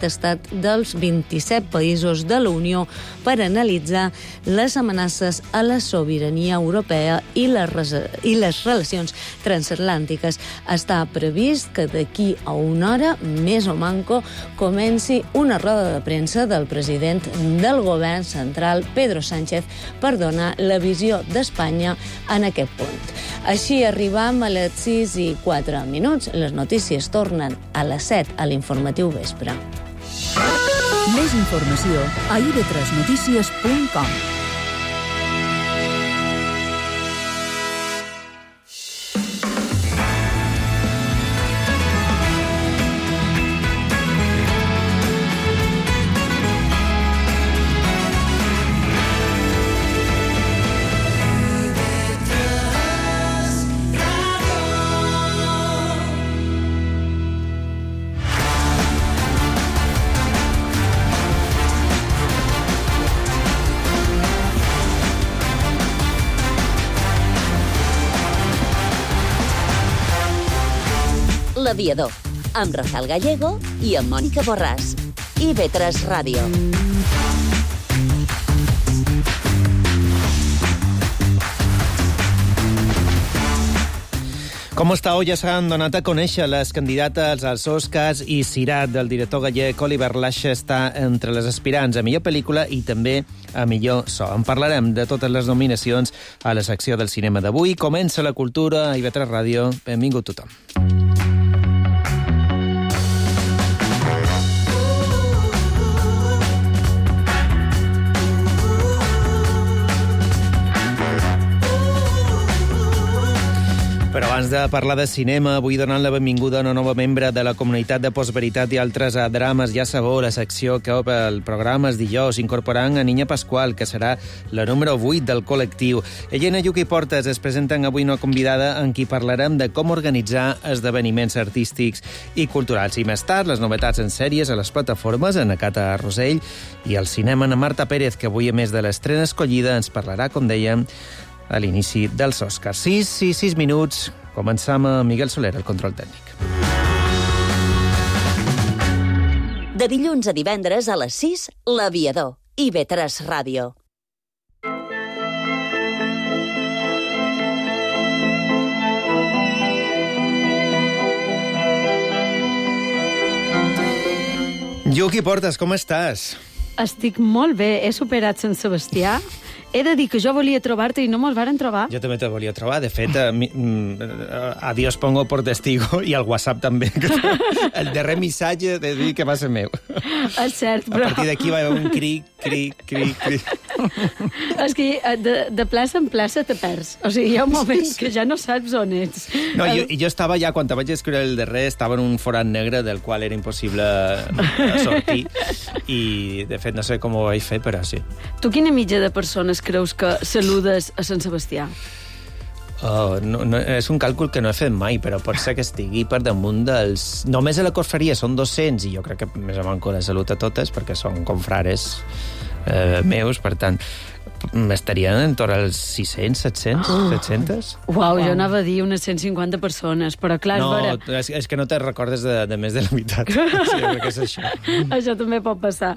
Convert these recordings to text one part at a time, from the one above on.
estat dels 27 països de la Unió per analitzar les amenaces a la sobirania europea i les relacions transatlàntiques. Està previst que d'aquí a una hora, més o manco, comenci una roda de premsa del president del govern central, Pedro Sánchez, per donar la visió d'Espanya en aquest punt. Així arribam a les 6:04. Les notícies tornen a les 7 a l'informatiu vespre. Més informació a ib3notícies.com. L'Aviador, amb Rafael Gallego i amb Mònica Borràs. IB3 Ràdio. Com està? Ja s'han donat a conèixer les candidates als Oscars i Cirat del director gallec Oliver Lache està entre les aspirants a millor pel·lícula i també a millor so. En parlarem de totes les nominacions a la secció del cinema d'avui. Comença la cultura a IB3 Ràdio. Benvingut tothom. Però abans de parlar de cinema, vull donar la benvinguda a una nova membre de la comunitat de Postveritat i altres drames. Ja sabeu, la secció que obre el programa és dijous, incorporant a Niña Pascual, que serà la número 8 del col·lectiu. Ella i Nayuki Portes es presenten avui una convidada en qui parlarem de com organitzar esdeveniments artístics i culturals. I més tard, les novetats en sèries a les plataformes, en Acata Rosell, i al cinema, en Marta Pérez, que avui, a més de l'estrena escollida, ens parlarà, com dèiem, a l'inici dels Oscars. 6 minuts. Començam a Miguel Soler, el control tècnic. De dilluns a divendres a les 6, L'Aviador. IB3 Ràdio. Yuki Portes, com estàs? Estic molt bé. He superat Sant Sebastià. He de dir que jo volia trobar-te i no me'ls varen trobar. Jo també te volia trobar. De fet, a Dios pongo por testigo i al WhatsApp també. El darrer missatge de dir que va ser meu. És cert, però... A partir d'aquí va haver un cric. És que de plaça en plaça te perds. O sigui, hi ha un moment que ja no saps on ets. No, jo estava ja, quan te vaig escriure el darrer, estava en un forat negre del qual era impossible sortir. I, de fet, no sé com ho vaig fer, però sí. Tu quina mitja de persones creus que saludes a Sant Sebastià? No, és un càlcul que no he fet mai, però pot ser que estigui per damunt dels... Només a la cofreria són 200, i jo crec que més o manco la salut a totes, perquè són confrares meus, per tant, estarien en torn als 600, 700? Uau, jo anava a dir unes 150 persones, però clar, és que no te recordes de més de la meitat. Sí, jo crec que és això. Això també pot passar.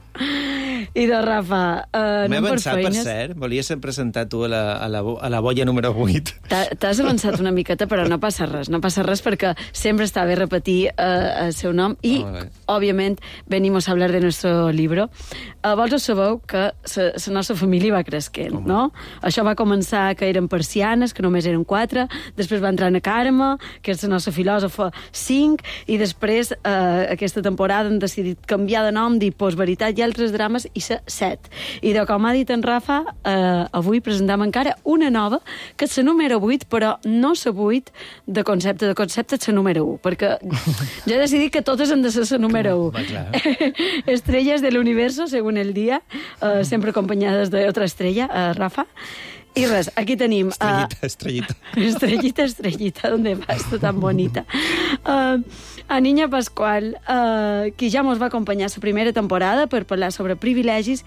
I de Rafa, m'he avançat, per cert. Volia ser presentat tu a la boia número 8. T'has avançat una miqueta, però no passa res. No passa res perquè sempre està bé repetir el seu nom. I, òbviament, venimos a hablar de nuestro libro. Vosaltres sabeu que la nostra família va cresquent, no? Això va començar que eren persianes, que només eren 4, després va entrar na Carme, que és la nostra filòsofa, 5, i després, aquesta temporada, han decidit canviar de nom, dir Postveritat i altres drames, i ser 7. I com ha dit en Rafa, avui presentam encara una nova, que és la número 8, però no la 8 de concepte és la número 1, perquè jo he decidit que totes han de ser la número 1. Estrelles de l'universo, según el dia, sempre acompanyades d'altra estrella, Rafa. I res, aquí tenim... Estrellita. Estrellita, ¿dónde vas? Tú tan bonita. A Niña Pascual, qui ja ens va acompanyar la primera temporada per parlar sobre privilegis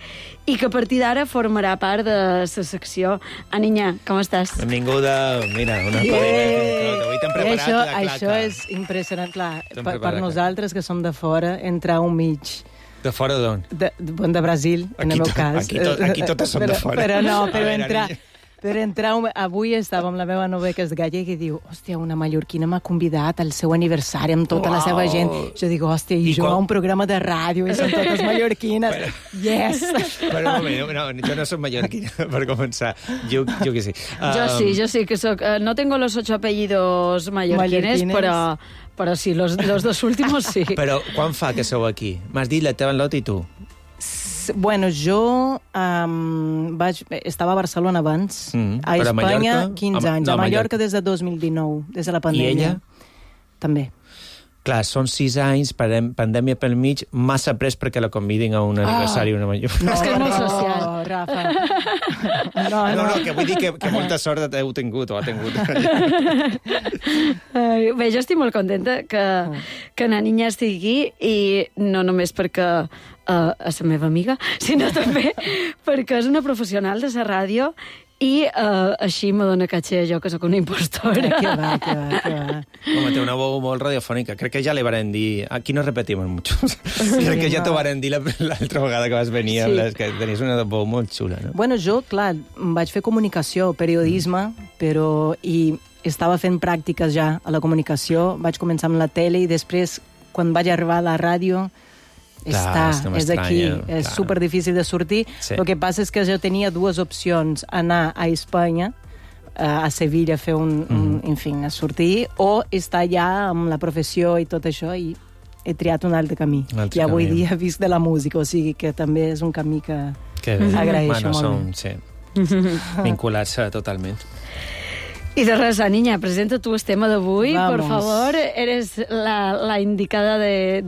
i que a partir d'ara formarà part de la secció. A Niña, com estàs? Benvinguda. Mira, una palera. Avui t'hem preparat la claca. Això és impressionant, clar. Per nosaltres, que som de fora, entrar un mig De fora d'on? De Brasil, en el meu cas. Aquí totes són de fora. Per entrar, avui estava amb la meva nova que és gallega i diu, hòstia, una mallorquina m'ha convidat al seu aniversari amb tota la seva gent. Jo dic, hòstia, i jo a un programa de ràdio i són totes mallorquines. Yes! Però un moment, jo no soc mallorquina, per començar. Jo que sí. Jo sí que soc. No tengo los 8 apellidos mallorquines, però sí, los dos últimos sí. Però quan fa que sou aquí? M'has dit la teva Lot i tu? Bueno, jo estava a Barcelona abans, a Espanya 15 anys, a Mallorca des de 2019, des de la pandèmia. I ella? També. Clar, són 6 anys, pandèmia pel mig, massa pres perquè la convidin a un aniversari. Una major. No, és que és molt social. No, Rafa. No, que vull dir que molta sort heu tingut o ha tingut. Bé, jo estic molt contenta que na Niña estigui i no només perquè és la meva amiga, sinó també perquè és una professional de la ràdio i així me dona caché jo que sóc una impostora. Que va. Home, té una veu molt radiofònica. Crec que ja li varen dir... Aquí no repetimos mucho. Crec que ja t'ho varen dir l'altra vegada que vas venir, que tenies una veu molt xula, no? Bueno, jo, clar, vaig fer comunicació, periodisme, i estava fent pràctiques ja a la comunicació. Vaig començar amb la tele i després, quan vaig arribar a la ràdio, és aquí, és super difícil de sortir. El que passa és que jo tenia dues opcions, anar a Espanya, a Sevilla, a fer a sortir, o estar ja amb la professió i tot això, i he triat un altre camí. I avui dia visc de la música, o sigui que també és un camí que agraeixo molt. Sí. Vincular-se totalment. Y de res, Niña, presenta tu el tema d'avui, por favor. Eres la indicada de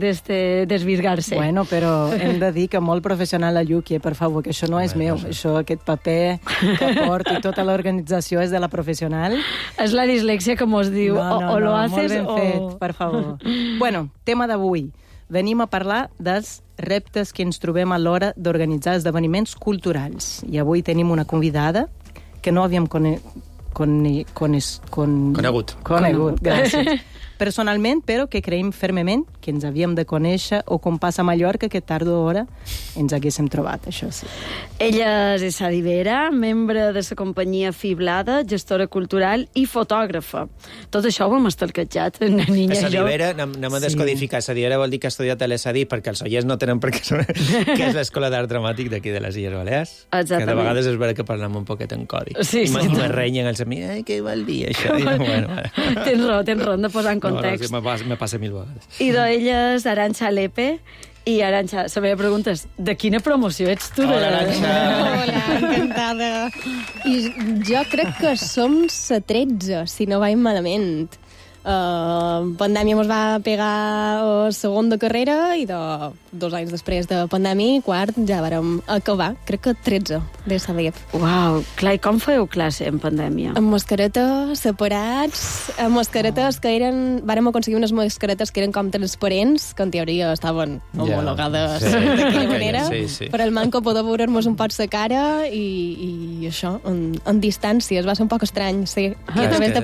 desvirgar-se. Bueno, però hem de dir que molt professional la Lluqui, per favor, que això no és meu. Això, aquest paper que porto i tota l'organització és de la professional. És la dislèxia que mos diu, o lo haces o... Molt ben fet, per favor. Bueno, tema d'avui. Venim a parlar dels reptes que ens trobem a l'hora d'organitzar esdeveniments culturals. I avui tenim una convidada que no havíem conegut, gràcies. Personalment, però que creiem fermament que ens havíem de conèixer, o com passa a Mallorca, que tard o d'hora ens haguéssim trobat, això sí. Ella és Sadi Vera, membre de la companyia Fiblada, gestora cultural i fotògrafa. Tot això ho hem estalquejat, na Niña i jo. Sadi Vera, anem a descodificar. Sadi Vera vol dir que ha estudiat a l'ESADI, perquè els oients no tenen per què saber que és l'Escola d'Art Dramàtic d'aquí de les Illes Balears. Exactament. Que de vegades és vera que parlem un poquet en codi. Sí, I me renyen els amics, què vol dir això? Tens raó, hem de posar en context. No, me passa 1000 vegades. I d'ella és Arantxa Lepe. I Arantxa, la meva pregunta és, de quina promoció ets tu? Hola, Arantxa. Hola, encantada. I jo crec que som la 13, si no vaig malament. Pandèmia mos va pegar a segon de carrera i 2 anys després de pandèmia, quart, ja vàrem acabar. Crec que 13 de Sadep. Uau, clar, i com fèieu classe en pandèmia? Amb mascaretes, separats, amb mascaretes que vàrem aconseguir unes mascaretes que eren com transparents, que en teoria estaven homologades d'aquella manera, però el manco poder veure'ns un poc la cara i això, en distància. Es va ser un poc estrany, sí. I a través de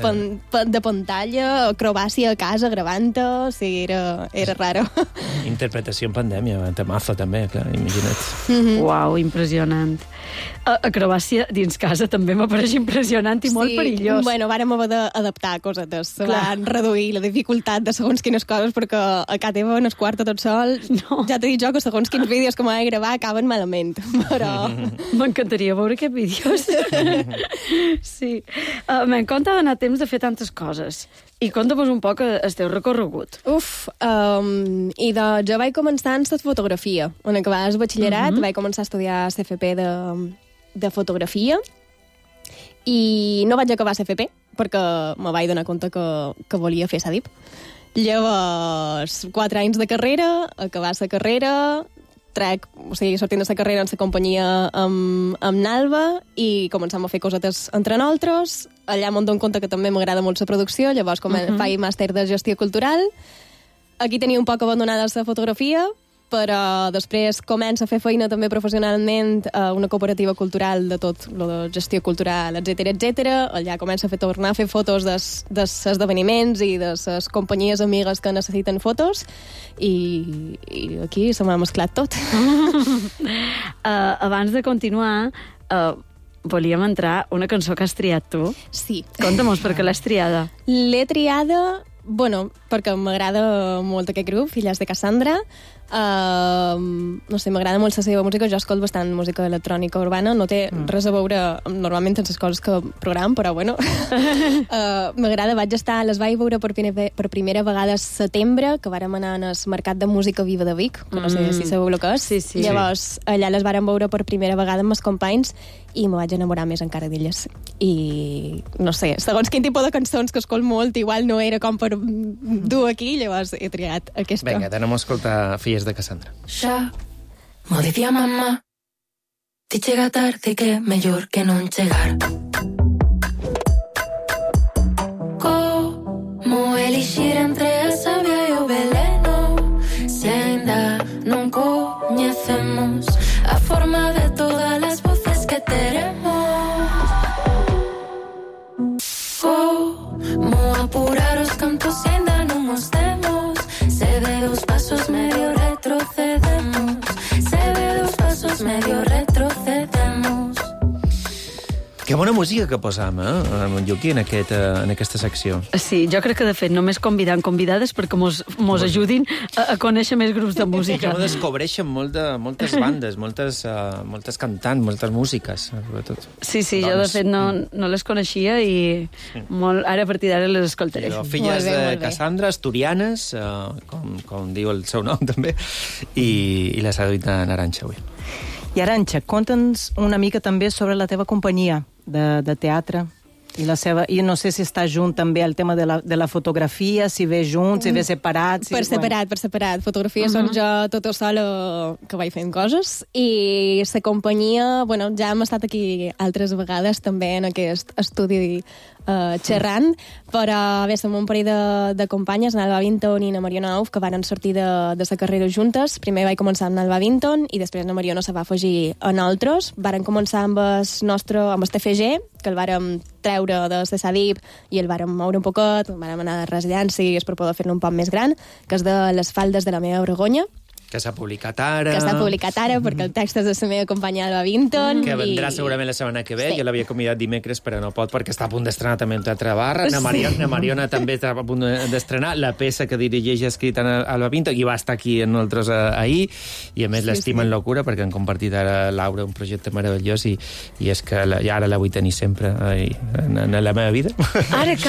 pantalla, acrobàcia a casa, gravant-ho, sí, era raro. Interpretació en pandèmia, temazo també, clar, imagina't. Uau, impressionant. Acrobàcia dins casa també m'apareix impressionant i molt perillós. Bueno, vàrem haver d'adaptar cosetes. Se van reduir la dificultat de segons quines coses, perquè a casa teva, en el quart tot sol, ja t'he dit jo que segons quins vídeos que m'he de gravar acaben malament, però... M'encantaria veure aquests vídeos. Sí. Me'n compte d'anar temps de fer tantes coses. I conta-vos un poc el teu recorregut. Jo vaig començar en la fotografia. En acabar el batxillerat vaig començar a estudiar CFP de fotografia i no vaig acabar CFP perquè me vaig donar compte que volia fer SADIP. Llavors, 4 anys de carrera, acabar la carrera, sortint de la carrera en la companyia amb Nalba i començam a fer cosetes entre nosaltres. Allà m'ho dono compte que també m'agrada molt la producció, llavors faig màster de gestió cultural. Aquí tenia un poc abandonada la fotografia però després comença a fer feina també professionalment a una cooperativa cultural de tot, lo de gestió cultural, etc. Allà comença a tornar a fer fotos dels esdeveniments i de les companyies amigues que necessiten fotos i aquí se m'ha mesclat tot. Abans de continuar, volíem entrar una cançó que has triat tu. Sí. Conta-mos per què l'has triada. L'he triada, perquè m'agrada molt aquest grup, Filles de Cassandra. No sé, m'agrada molt la seva música. Jo escolto bastant música electrònica urbana. No té res a veure normalment amb les coses que program, però bueno. M'agrada, les vaig veure per primera vegada a setembre, que vàrem anar al Mercat de Música Viva de Vic, que no sé si sabeu el que és. Sí. Llavors, allà les vàrem veure per primera vegada amb els companys i me vaig enamorar més encara d'elles. I, no sé, segons quin tipus de cançons que escolto molt, igual no era com per dur aquí, llavors he triat aquesta. Vinga, anem a escoltar Filles de Cassandra. Ya, mo decía mamá, si llega tarde que mejor que no llegar. Como elegir entre a savia y o veneno, si ainda no conocemos a forma de todas las voces que tenemos. Como apurar los cantos si ainda no nos demos, se ve dos pasos medio retrocedemos, se ve dos pasos medio retrocedemos. Que bona música que posam, en Lluqui, en aquesta secció. Sí, jo crec que, de fet, només convidant convidades perquè mos ajudin a conèixer més grups de música. Que no descobreixen moltes bandes, moltes cantants, moltes músiques, sobretot. Sí, jo, de fet, no les coneixia i ara a partir d'ara les escoltaré. Filles de Cassandra, asturianes, com diu el seu nom, també, i la seduïta Arantxa, avui. I Arantxa, conta'ns una mica també sobre la teva companyia de teatre i la seva... I no sé si està junt també el tema de la fotografia, si ve junts, si ve separat... Per separat. Fotografia són jo tota sola que vaig fent coses i la companyia, ja hem estat aquí altres vegades també en aquest estudi xerrant, però som un parell de companyes, Alba Vinton i na Mariona Auf, que van sortir de la carrera juntes. Primer vaig començar amb Alba Vinton i després na Mariona se va afegir a nosaltres. Varen començar amb el TFG, que el vàrem treure de Sadip i el vàrem moure un poquet, vàrem anar a residències per poder fer-lo un poc més gran, que és de Les faldes de la meva Vergonya, que s'ha publicat ara. Perquè el text és de la meva companya Alba Vinton. Que vendrà segurament la setmana que ve. Sí. Jo l'havia convidat dimecres, però no pot, perquè està a punt d'estrenar també un teatre barra. Na Mariona també està a punt d'estrenar la peça que dirigeix i ha escrit Alba Vinton, i va estar aquí amb nosaltres ahir, i a més l'estimen locura, perquè han compartit ara Laura un projecte meravellós, i és que ara la vull tenir sempre en la meva vida. Ara he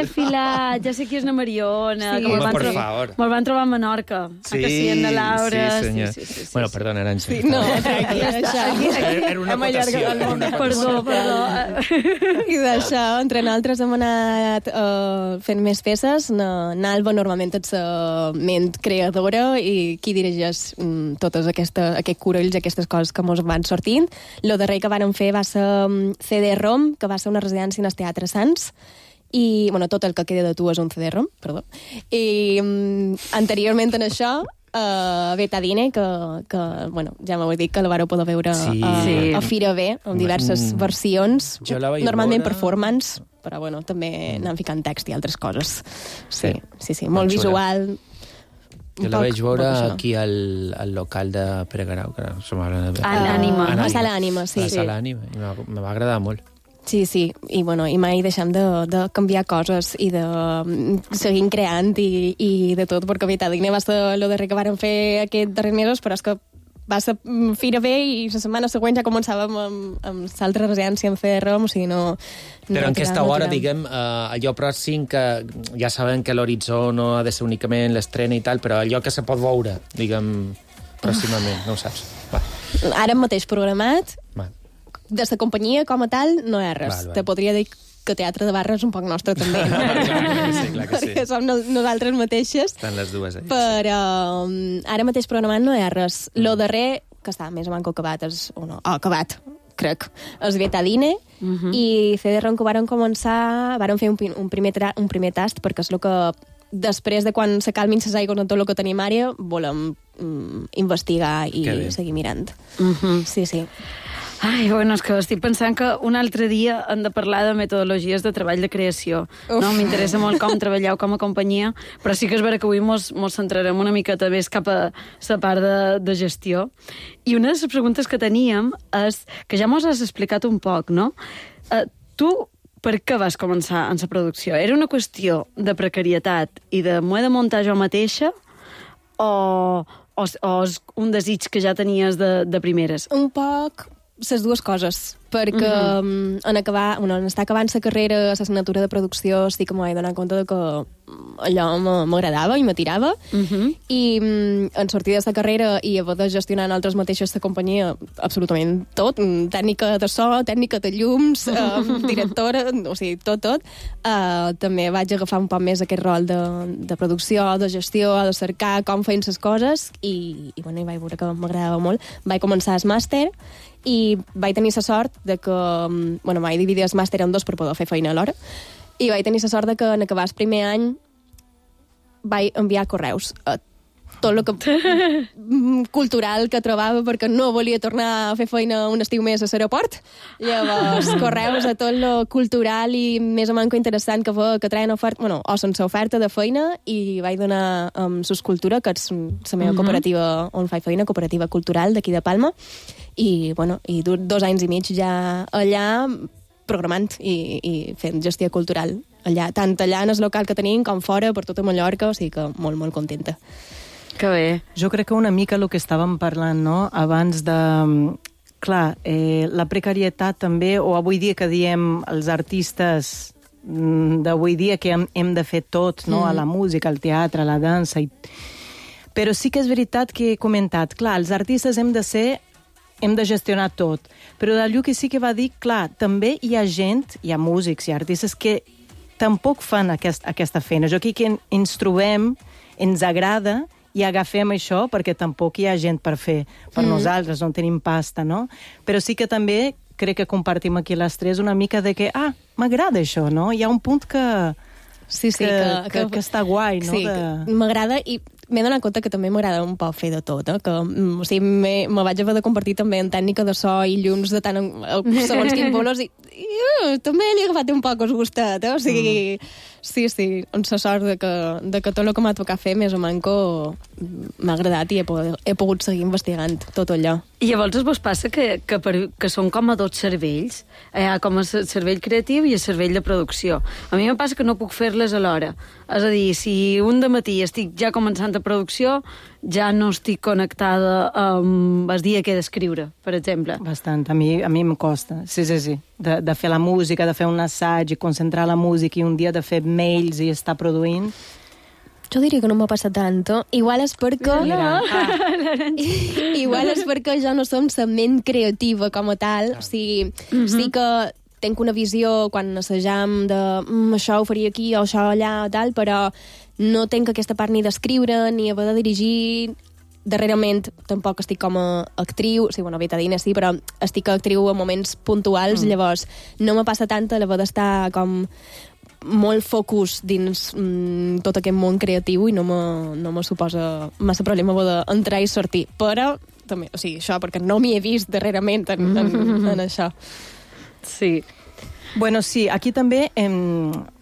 filat. Ja sé qui és na Mariona. Me'l van trobar amb Menorca. Sí, en la Laura. Sí, senyor. Sí. Bueno, perdona, Arantxa. Sí, no, tranquil, Era una acotació. Perdó. I d'això, entre nosaltres hem anat fent més peces. N'Alba normalment és ment creadora i qui dirigeix totes aquest corolls, aquestes coses que mos van sortint. Lo darrer que vàrem fer va ser CD-ROM, que va ser una residència en el Teatre Sants, i, tot el que queda de tu és un CD-ROM, perdó. I anteriorment en això, Betadine, que ja m'ho he dit, que la vareu poder veure a Fira B, amb diverses versions, normalment performance, però també anant ficant text i altres coses. Sí, molt visual. Jo la vaig veure aquí al local de Pere Garau, que som a l'Ànima. A Sala Ànima, sí. A Sala Ànima, i me va agradar molt. Sí, i mai deixem de canviar coses i de seguir creant i de tot, perquè Betadine va ser el darrer que vàrem fer aquests darrers mesos, però és que va ser Fira B i la setmana següent ja començàvem amb l'altra residència en CD-ROM, o sigui, no... Però en aquesta hora, diguem, allò pròxim, que ja sabem que l'horitzó no ha de ser únicament l'estrena i tal, però allò que se pot veure, diguem, pròximament, no ho saps. Va. Ara mateix programat, de la companyia com a tal, no hi ha res. Te podria dir que teatre de barra és un poc nostre també, no? Clar que sí. Perquè som nosaltres mateixes. Estan les dues allà. Però ara mateix programat no hi ha res. Lo darrer, que està més o manco acabat, acabat, crec, és Betadine, i CD-ROM que vàrem començar, vàrem fer un primer tast, perquè és el que després de quan se calmin les aigües en tot el que tenim ara, volem investigar i seguir mirant. Sí, sí. Ai, bueno, és que estic pensant que un altre dia hem de parlar de metodologies de treball de creació. No? M'interessa molt com treballeu com a companyia, però sí que és vera que avui mos centrarem una miqueta més cap a la part de gestió. I una de les preguntes que teníem és, que ja mos has explicat un poc, no? Tu, per què vas començar en la producció? Era una qüestió de precarietat i de m'ho he de muntar jo mateixa o és un desig que ja tenies de primeres? Un poc les dues coses, perquè en estar acabant la carrera, l'assignatura de producció, sí que m'ho he donat compte que allò m'agradava i m'atirava, i en sortir de la carrera i haver de gestionar en altres mateixes la companyia absolutament tot, tècnica de so, tècnica de llums, directora, o sigui, tot, també vaig agafar un poc més aquest rol de producció, de gestió, de cercar com feien les coses, i vaig veure que m'agradava molt. Vaig començar el màster i vaig tenir la sort de que... vaig dividir el màster en dos per poder fer feina alhora, i vaig tenir la sort de que en acabar el primer any vaig enviar correus a tot el que cultural que trobava, perquè no volia tornar a fer feina un estiu més a l'aeroport. Llavors, correus a tot el cultural i més o manco interessant que treien oferta, o sense oferta de feina, i vaig donar Suscultura, que és la meva cooperativa on faig feina, cooperativa cultural d'aquí de Palma, i 2 anys i mig ja allà programant i fent gestió cultural allà, tant allà en el local que tenim com fora, per tota Mallorca, o sigui que molt, molt contenta. Que bé. Jo crec que una mica el que estàvem parlant, no?, abans de... Clar, la precarietat també, o avui dia que diem els artistes d'avui dia que hem de fer tot, no?, a la música, al teatre, a la dansa... Però sí que és veritat que he comentat, clar, els artistes hem de gestionar tot. Però d'allò que sí que va dir, clar, també hi ha gent, hi ha músics, hi ha artistes que tampoc fan aquesta feina. Jo aquí que ens trobem, ens agrada i agafem això perquè tampoc hi ha gent per fer per nosaltres, no tenim pasta, no? Però sí que també crec que compartim aquí les tres una mica de que, m'agrada això, no? Hi ha un punt que està guai, no? Sí, m'agrada i m'he donat compte que també m'agrada un poc fer de tot, que o sigui, me vaig haver de compartir també en tècnica de so i llums de tant segons quins bolos i també li he agafat un poc el gustet, o sigui, sí, amb la sort de que tot el que m'ha tocat fer més o manco m'ha agradat i he pogut seguir investigant tot allò. I llavors vos passa que són com a dos cervells, com el cervell creatiu i el cervell de producció. A mi em passa que no puc fer-les alhora. És a dir, si un dematí estic ja començant a producció, ja no estic connectada amb el dia que he d'escriure, per exemple. Bastant, a mi em costa, sí. De fer la música, de fer un assaig i concentrar la música i un dia de fer mails i estar produint. Jo diria que no m'ha passat tant. Igual és perquè... Igual és perquè jo no som la ment creativa com a tal. O sigui, sí que tenc una visió quan assajam de això ho faria aquí o això allà o tal, però no tenc aquesta part ni d'escriure ni haver de dirigir. Darrerament tampoc estic com a actriu, sí, betadina sí, però estic actriu a moments puntuals, llavors no me passa tant l'haver d'estar com molt focus dins tot aquest món creatiu i no me suposa massa problema d'entrar i sortir, però també, o sigui, això perquè no m'hi he vist darrerament en això. Sí. Bueno, sí, aquí també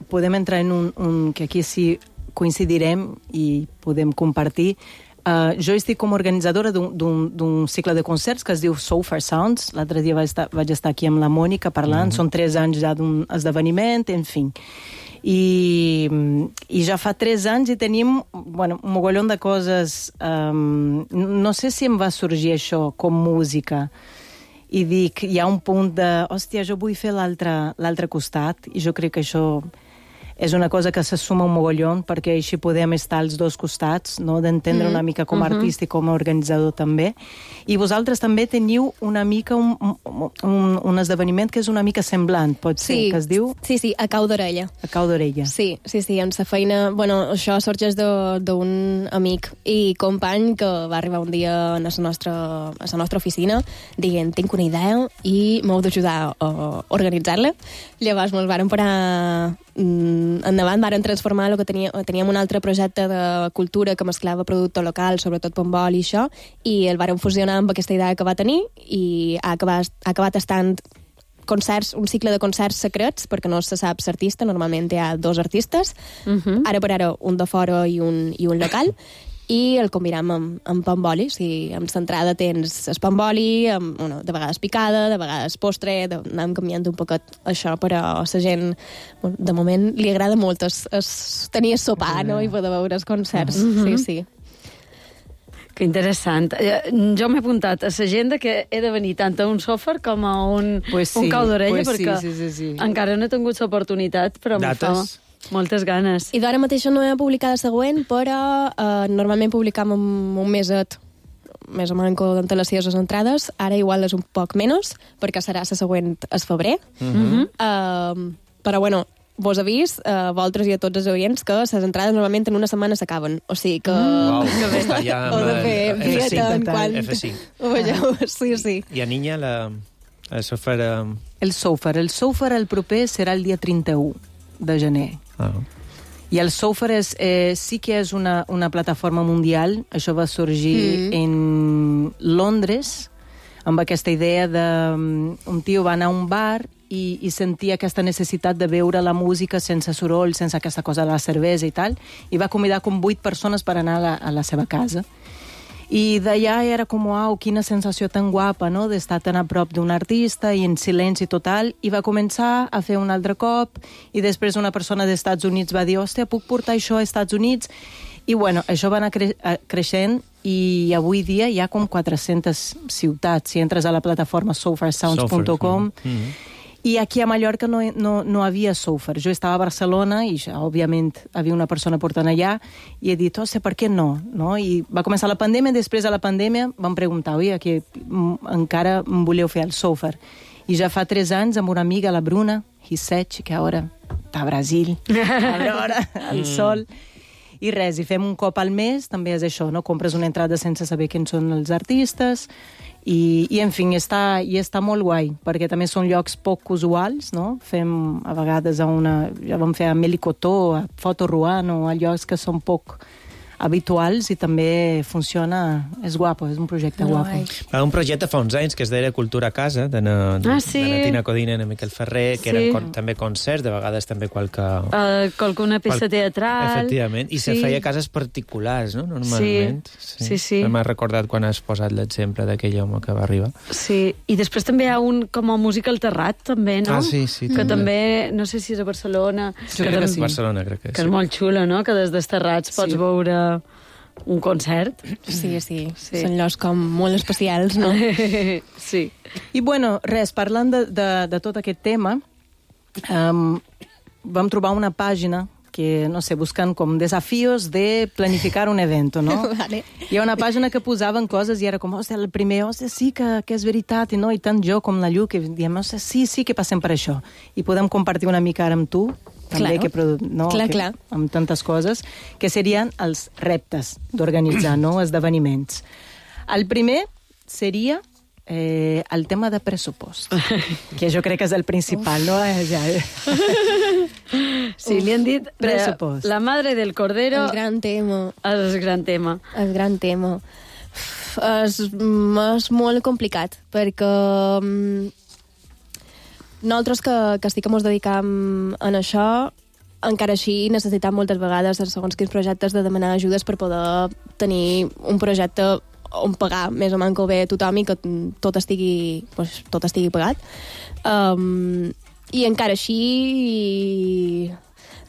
podem entrar en un que aquí sí coincidirem i podem compartir. Jo estic com a organitzadora d'un cicle de concerts que es diu So Far Sounds. L'altre dia vaig estar aquí amb la Mònica parlant. Són 3 anys ja d'un esdeveniment, en fi. I ja fa 3 anys i tenim un mogollon de coses. No sé si em va sorgir això com música. I dic, hi ha un punt de, hòstia, jo vull fer l'altre costat. I jo crec que això és una cosa que se suma un mogollon, perquè així podem estar als dos costats, no? D'entendre una mica com a artista i com a organitzador també. I vosaltres també teniu una mica un esdeveniment que és una mica semblant, pot ser, que es diu... Sí, a cau d'orella. A cau d'orella. Sí, en sa feina... això sorgeix d'un amic i company que va arribar un dia a la nostra oficina dient, tinc una idea i m'heu d'ajudar a organitzar-la. Llavors mos vàrem parar endavant varen transformar el que teníem un altre projecte de cultura que mesclava producte local, sobretot Pombol i això, i el varen fusionar amb aquesta idea que va tenir i ha acabat estant concerts, un cicle de concerts secrets, perquè no se sap l'artista, normalment hi ha 2 artistes, ara per ara un de fora i un local, i el combinem amb Pomboli. O sigui, amb l'entrada tens el Pomboli, de vegades picada, de vegades postre, anem canviant un poquet això, però a la gent, de moment, li agrada molt tenir el sopar, no?, i poder veure els concerts. Sí. Que interessant. Jo m'he apuntat a l'agenda que he de venir tant a un sòfer com a un cau d'orella, perquè encara no he tingut l'oportunitat, però em fa moltes ganes. I d'ara mateix no he publicat la següent, però normalment publicam un meset, més o menys d'antelació a les entrades. Ara igual és un poc menys, perquè serà la següent al febrer. Però bueno, vos avís, a vosaltres i a tots els oients, que les entrades normalment en una setmana s'acaben. O sigui que... Està ja amb F5. Sí. I a Niña, el sòfer... El sòfer el proper serà el dia 31 de gener. I el Sofer sí que és una plataforma mundial. Això va sorgir en Londres, amb aquesta idea de... Un tio va anar a un bar i sentia aquesta necessitat de veure la música sense soroll, sense aquesta cosa de la cervesa i tal, i va convidar com 8 persones per anar a la seva casa. I d'allà era com, uau, quina sensació tan guapa, no?, d'estar tan a prop d'un artista i en silenci total, i va començar a fer un altre cop, i després una persona dels Estats Units va dir, hòstia, puc portar això als Estats Units? I bueno, això va anar creixent, i avui dia hi ha com 400 ciutats. Si entres a la plataforma sofarsounds.com, i aquí a Mallorca no havia Sofer. Jo estava a Barcelona i, òbviament, havia una persona portant allà i he dit, per què no? I va començar la pandèmia, després de la pandèmia vam preguntar, oi, que encara em voleu fer el Sofer. I ja fa 3 anys amb una amiga, la Bruna Hisech, que ara està a Brasil, a l'hora, al sol. I res, i fem un cop al mes, també és això, no? Compres una entrada sense saber quins són els artistes, i en fi, està molt guai, perquè també són llocs poc usuals, no? Fem a vegades ja vam fer a Melicotó, a Foto Ruano, a llocs que són poc habituals, i també funciona, és guapo, és un projecte guapo. Un projecte fa uns anys que es deia Cultura a Casa, de na Tina Codina i na Miquel Ferrer, que eren també concerts, de vegades també qualcuna peça teatral. Efectivament, i se feia a cases particulars, no?, normalment. Sí. M'ha recordat quan has posat l'exemple d'aquell home que va arribar. Sí, i després també hi ha un com a música al terrat, també, no? Sí. Que també, no sé si és a Barcelona. Barcelona, crec que sí. Que és molt xulo, no?, que des dels terrats pots veure un concert. Sí. Són llocs com molt especials, no? Sí. I bueno, res, parlant de tot aquest tema, vam trobar una pàgina que, no sé, buscant com desafíos de planificar un evento, no? Vale. Hi ha una pàgina que posaven coses i era com, hòstia, el primer, hòstia, sí que és veritat, i no, i tant jo com la Llu, que diem, hòstia, sí que passem per això. I podem compartir una mica ara amb tu, també, clar. amb tantes coses, que serien els reptes d'organitzar, no?, esdeveniments. El primer seria el tema de pressupost, que jo crec que és el principal, no? Sí, li han dit pressupost. La madre del cordero. El gran tema. El gran tema. És molt complicat, perquè nosaltres que sí que ens dedicam a això, encara així necessitem moltes vegades, segons quins projectes, de demanar ajudes per poder tenir un projecte on pagar més o menys bé tothom i que tot estigui pagat. I encara així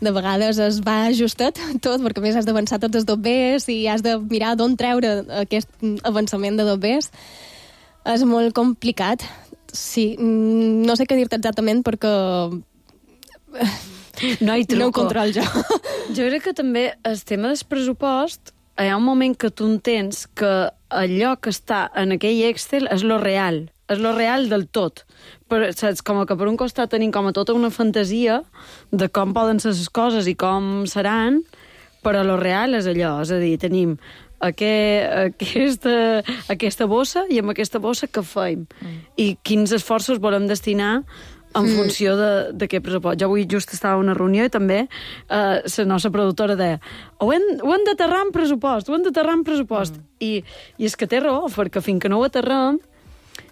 de vegades es va ajustat tot, perquè a més has d'avançar tots els dobbers i has de mirar d'on treure aquest avançament de dobbers. És molt complicat. Sí, no sé què dir-te exactament perquè no ho control jo. Jo crec que també el tema del pressupost, hi ha un moment que tu entens que allò que està en aquell Excel és lo real del tot. Però, saps, com que per un costat tenim com a tota una fantasia de com poden ser les coses i com seran, però lo real és allò, és a dir, tenim aquesta bossa i amb aquesta bossa què fem? I quins esforços volem destinar en funció d'aquest pressupost. Jo avui just estava a una reunió i també la nostra productora deia ho hem d'aterrar en pressupost, I és que té raó, perquè fins que no ho aterrem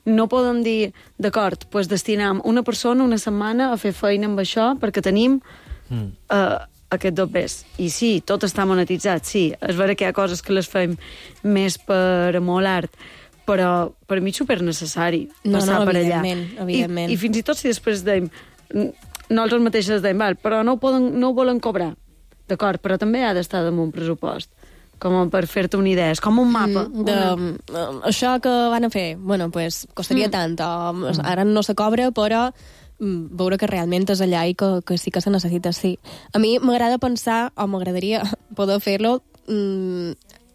no podem dir, d'acord, doncs destinem una persona una setmana a fer feina amb això perquè tenim aquest dobbers. I sí, tot està monetitzat, sí. És vera que hi ha coses que les fem més per amor a l'art, però per mi és supernecessari passar per allà. Evidentment. I fins i tot si després dèiem, nosaltres mateixes dèiem, però no ho volen cobrar. D'acord, però també ha d'estar damunt pressupost, com per fer-te una idea. És com un mapa. Això que van a fer, bueno, pues, costaria tant. Ara no se cobra, però veure que realment és allà i que sí que se necessita, sí. A mi m'agrada pensar, o m'agradaria poder fer-lo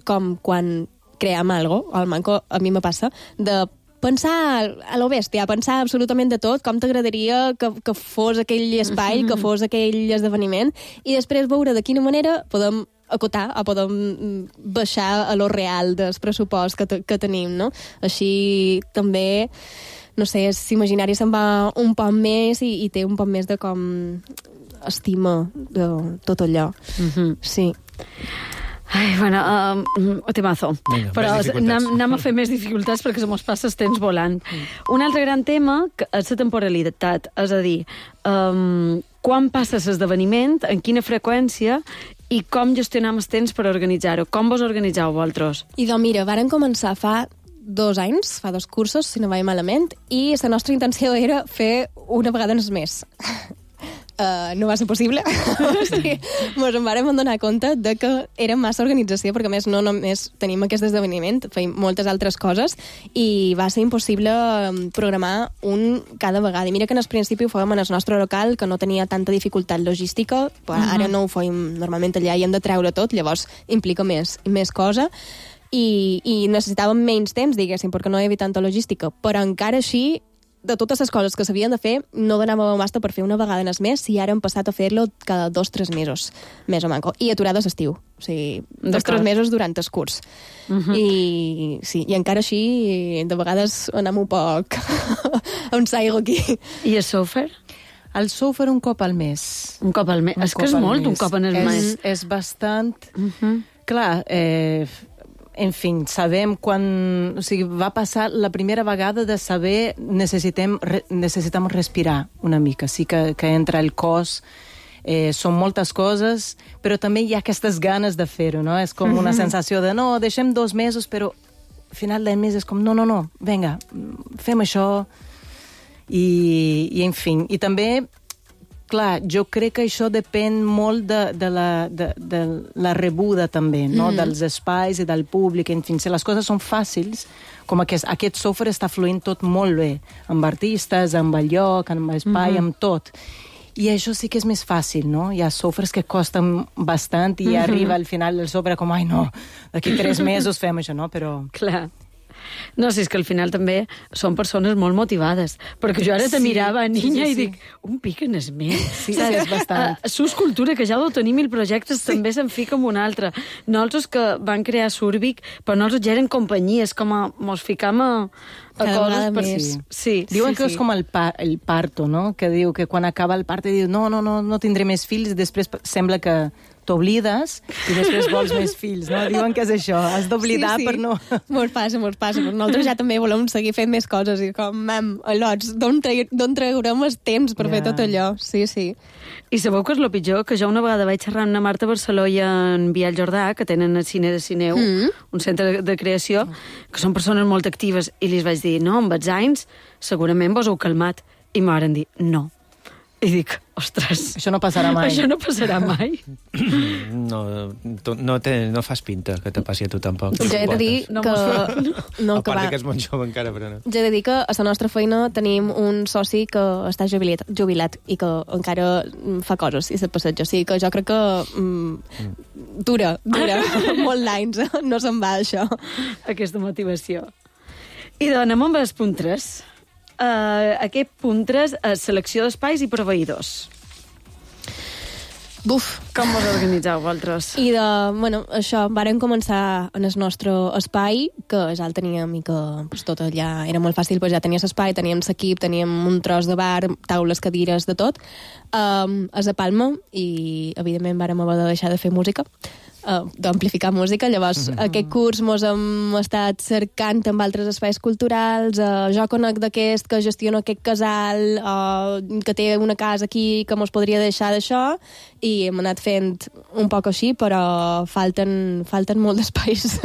com quan creem algo, al Manco a mi me passa, de pensar a lo bèstia, pensar absolutament de tot, com t'agradaria que fos aquell espai, que fos aquell esdeveniment, i després veure de quina manera podem acotar o podem baixar a lo real del pressupost que tenim, no? Així també, no sé, l'imaginari se'n va un poc més i té un poc més de com estima de tot allò. Sí. Ai, bueno, temazo. Vinga, però anem a fer més dificultats perquè se mos passa el temps volant. Un altre gran tema és la temporalitat, és a dir, quan passa l'esdeveniment, en quina freqüència i com gestionam el temps per organitzar-ho. Com vos organitzeu vosaltres? I doncs mira, varen començar fa 2 anys, fa 2 cursos, si no vaig malament, i la nostra intenció era fer una vegada més. No va ser possible. O sigui, ens en vàrem donar compte de que era massa organització, perquè a més no només tenim aquest esdeveniment, feim moltes altres coses, i va ser impossible programar un cada vegada. I mira que en el principi ho fèiem en el nostre local, que no tenia tanta dificultat logística, però ara no ho fèiem normalment allà i hem de treure tot, llavors implica més cosa, i necessitàvem menys temps, diguéssim, perquè no hi havia tanta logística, però encara així de totes les coses que s'havien de fer, no donàvem abast per fer una vegada més, i ara hem passat a fer-lo cada 2-3 mesos, més o manco. I aturades estiu. O sigui, 2-3 mesos durant el curs. I sí, i encara així, de vegades anem un poc on saigo aquí. I el software? El software un cop al mes. Un cop al mes. És que és molt, un cop en el mes. És bastant... Clar, en fi, sabem quan... O sigui, va passar la primera vegada de saber necessitem respirar una mica. Sí que entra el cos, són moltes coses, però també hi ha aquestes ganes de fer-ho, no? És com una sensació de, no, deixem 2 mesos, però al final del mes és com, no, vinga, fem això. I en fi, i també... Clar, jo crec que això depèn molt de la rebuda també, no? Dels espais i del públic, en fi, si les coses són fàcils, com aquest software està fluint tot molt bé, amb artistes, amb el lloc, amb l'espai, amb tot. I això sí que és més fàcil, no? Hi ha softwares que costen bastant i arriba al final del software com, ai no, d'aquí 3 mesos fem això, no? Però... Clar. No, si és que al final també són persones molt motivades, perquè jo ara te mirava a niña i dic, un pic en es més. Sí, és bastant. Sus Cultura, que ja ho tenim 1000 projectes, també se'n fica amb un altre. Nosaltres que van crear Surbic, però nosaltres ja eren companyies, com a mos ficam a coses per... Sí. Diuen que és com el parto, no? Que diu que quan acaba el part diu no tindré més fills, i després sembla que t'oblides i després vols més fills, no? Diuen que és això, has d'oblidar per no... Mos passa, però nosaltres ja també volem seguir fent més coses i com, al·lots, d'on traurem el temps per fer tot allò? Sí. I sabeu que és el pitjor? Que jo una vegada vaig xerrar amb la Marta Barceló i en Biel Jordà, que tenen el Cine de Cineu, un centre de creació, que són persones molt actives, i li vaig dir, no, amb els anys segurament vos heu calmat. I m'ho van dir, no. I dic, ostres... Això no passarà mai. Això no passarà mai. No fas pinta que te passi a tu tampoc. Ja he de dir que... A part que és molt jove encara, però no. Ja he de dir que a la nostra feina tenim un soci que està jubilat i que encara fa coses i se't passeja. O sigui que jo crec que dura molt d'anys. No se'n va, això. Aquesta motivació. I doncs anem amb el punt 3. Aquest punt 3 és selecció d'espais i proveïdors. Buf! Com vos organitzeu, vosaltres? I això, vàrem començar en el nostre espai, que ja el teníem i que pues, tot allà era molt fàcil, pues, ja tenies espai, teníem l'equip, teníem un tros de bar, taules, cadires, de tot, a la Palma, i evidentment vàrem haver de deixar de fer música, d'amplificar música. Llavors, aquest curs mos hem estat cercant amb altres espais culturals, jo conec d'aquest que gestiona aquest casal, que té una casa aquí que mos podria deixar d'això, i hem anat fent un poc així, però falten molt d'espais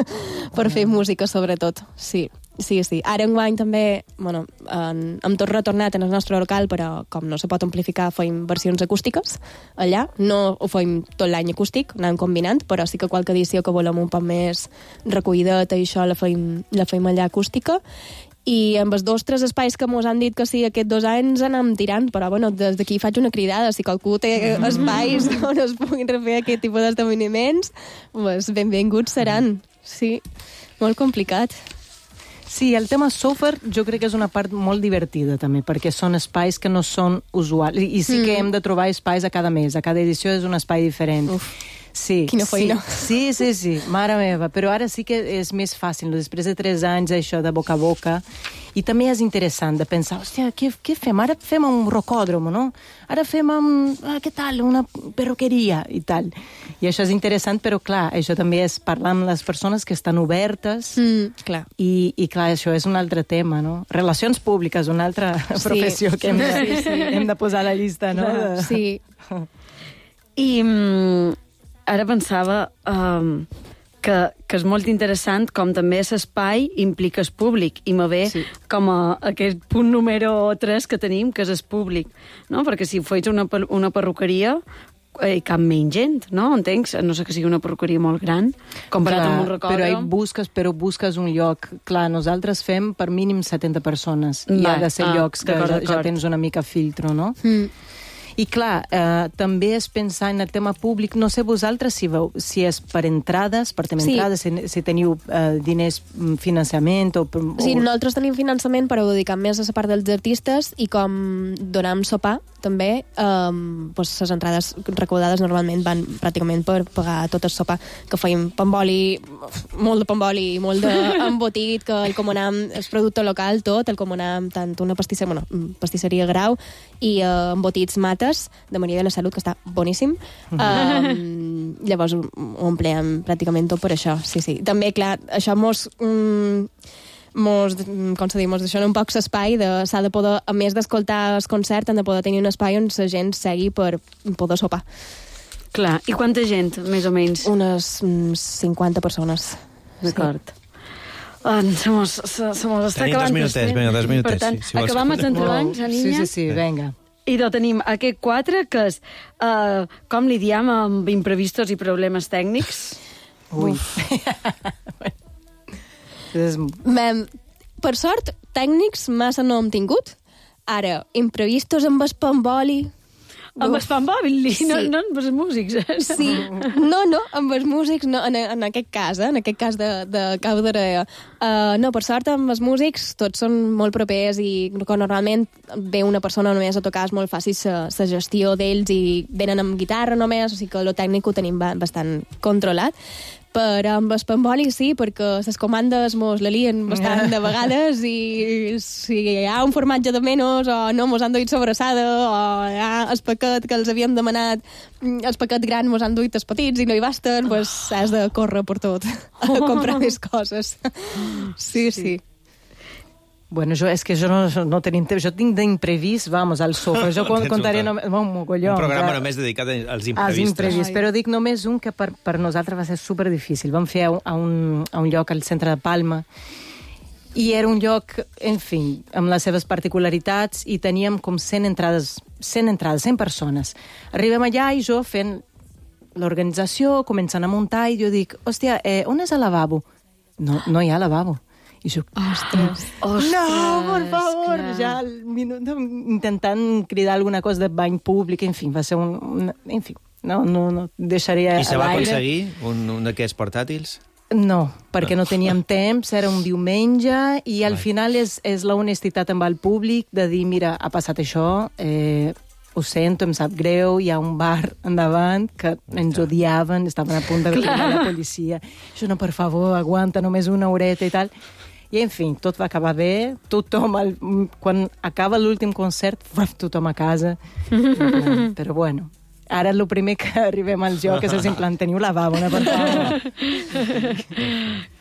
per fer música, sobretot. Sí. Ara enguany també, hem tot retornat en el nostre local, però com no se pot amplificar, feim versions acústiques allà. No ho feim tot l'any acústic, anem combinant, però sí que qualque edició que volem un poc més recollideta i això la feim allà acústica. I amb els 2 o 3 espais que mos han dit que sí aquests 2 anys anem tirant, però des d'aquí faig una cridada. Si qualcú té espais on es puguin refer aquest tipus d'esdeveniments, pues benvinguts seran. Sí, molt complicat. Sí, el tema software jo crec que és una part molt divertida també, perquè són espais que no són usuals, i sí que hem de trobar espais a cada mes, a cada edició és un espai diferent. Uf, sí, quina feina. Sí, mare meva, però ara sí que és més fàcil, després de 3 anys això de boca a boca, i també és interessant de pensar, hòstia, què fem? Ara fem un rocòdrom, no? Ara fem què tal, una perruqueria i tal. I això és interessant, però clar, això també és parlar amb les persones que estan obertes, clar. I clar, això és un altre tema, no? Relacions públiques, una altra professió que hem de posar a la llista, no? Sí. I ara pensava que és molt interessant com també l'espai implica el públic, i me ve com aquest punt número 3 que tenim, que és el públic, no? Perquè si feis una perruqueria, cap menys gent, no? Entenc? No sé que sigui una perruqueria molt gran, comparat amb un rocòdrom. Però busques un lloc. Clar, nosaltres fem per mínim 70 persones. I ha de ser llocs que ja tens una mica filtro, no? I clar, també és pensar en el tema públic. No sé vosaltres si és per entrades, si teniu diners, finançament o... Sí, nosaltres tenim finançament, però ho dediquem més a la part dels artistes, i com donem sopar, també, les entrades recaudades normalment van pràcticament per pagar tot el sopar, que feim pamboli, molt de pamboli, molt d'embotit, que el comunam, el producte local, tot, el comunam, tant una pastisseria Grau, i embotits Mates, de Maria de la Salut, que està boníssim. Llavors ho empleem pràcticament tot per això, sí. També, clar, això mos deixa un poc l'espai, s'ha de poder, a més d'escoltar el concert, han de poder tenir un espai on la gent segui per poder sopar. Clar, i quanta gent, més o menys? Unes 50 persones. D'acord. Se mos està acabant. Tenim 2 minutets. Per tant, acabam els entrebancs, Niña? Sí, vinga. I tenim aquest 4, que és, com li diem, amb imprevistos i problemes tècnics? Ui. Per sort, tècnics massa no hem tingut. Ara, imprevistos amb el pamboli... Amb el pamboli? Sí. No amb els músics. Sí. No, amb els músics, no, en aquest cas de Cau d'Orella. No, per sort, amb els músics tots són molt propers, i quan normalment ve una persona només a tocar és molt fàcil la gestió d'ells, i venen amb guitarra només, o sigui que el tècnic ho tenim bastant controlat. Però amb el pamboli sí, perquè les comandes mos la lien bastant de vegades, i si hi ha un formatge de menys, o no mos han duit sobrassada, o hi ha el paquet que els havíem demanat, el paquet gran mos han duit els petits i no hi basten, doncs has de córrer per tot a comprar més coses. Sí. Bueno, jo no tenim temps. Jo tinc d'imprevist, al sofà. Jo contaré un mogolló. Un programa només dedicat als imprevistos. Però dic només un que per nosaltres va ser superdifícil. Vam fer a un lloc al centre de Palma, i era un lloc, en fi, amb les seves particularitats, i teníem com 100 entrades, 100 persones. Arribem allà i jo fent l'organització, començant a muntar, i jo dic, hòstia, on és el lavabo? No hi ha lavabo. I jo, ostres, no, per favor, clar. Ja al minut intentant cridar alguna cosa de bany públic, en fi, va ser en fi, no deixaria a l'aire. I se va aconseguir un d'aquests portàtils? No, perquè no teníem temps, era un diumenge, i al final és la honestitat amb el públic de dir, mira, ha passat això, ho sento, em sap greu, hi ha un bar endavant que ens odiaven, estaven a punt de venir la policia. Això no, per favor, aguanta només una horeta i tal. I, en fi, tot va acabar bé. Tothom, quan acaba l'últim concert, tothom a casa. Però, bueno, ara el primer que arribem al joc és en plan, teniu lavabo, una pantalla.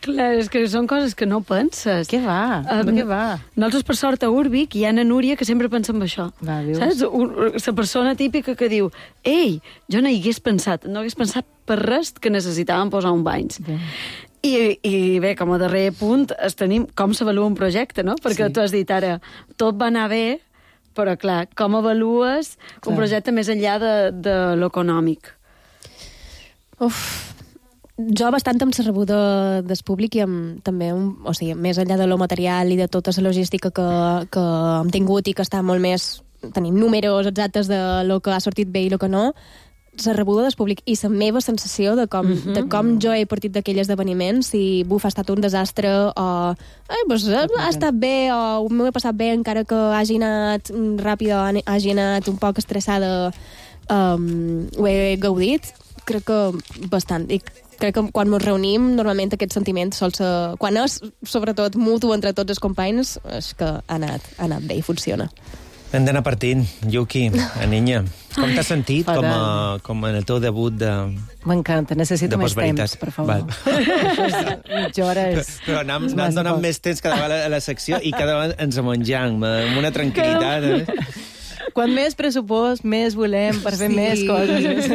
Clar, és que són coses que no penses. Què va? Què va? Nosaltres, per sort, a Urbic hi ha na Núria que sempre pensa en això. Va, saps? La persona típica que diu ei, jo no hi hagués pensat, per res que necessitàvem posar un banys. I bé, com a darrer punt, tenim com s'avalua un projecte, no? Perquè tu has dit ara, tot va anar bé, però clar, com avalues un projecte més enllà de l'econòmic? Jo bastant amb la rebuda del públic i amb també, o sigui, més enllà de lo material i de tota la logística que hem tingut i que està molt més... Tenim números exactes de lo que ha sortit bé i lo que no, la rebuda del públic i la meva sensació de com jo he partit d'aquell esdeveniment, si buf, ha estat un desastre o ha estat bé o m'ho he passat bé encara que hagi anat ràpid o hagi anat un poc estressada, ho he gaudit, crec que bastant. I crec que quan ens reunim, normalment aquest sentiment sol ser... Quan és, sobretot, mutu entre tots els companys, és que ha anat bé i funciona. Hem d'anar partint. Yuki, Aniña, com t'has sentit com en el teu debut de... M'encanta, necessito més temps, per favor. Mitja hora és... Però anem donant més temps cada vegada a la secció i cada vegada ens menjam amb una tranquil·litat. Quan més pressupost, més volem per fer més coses.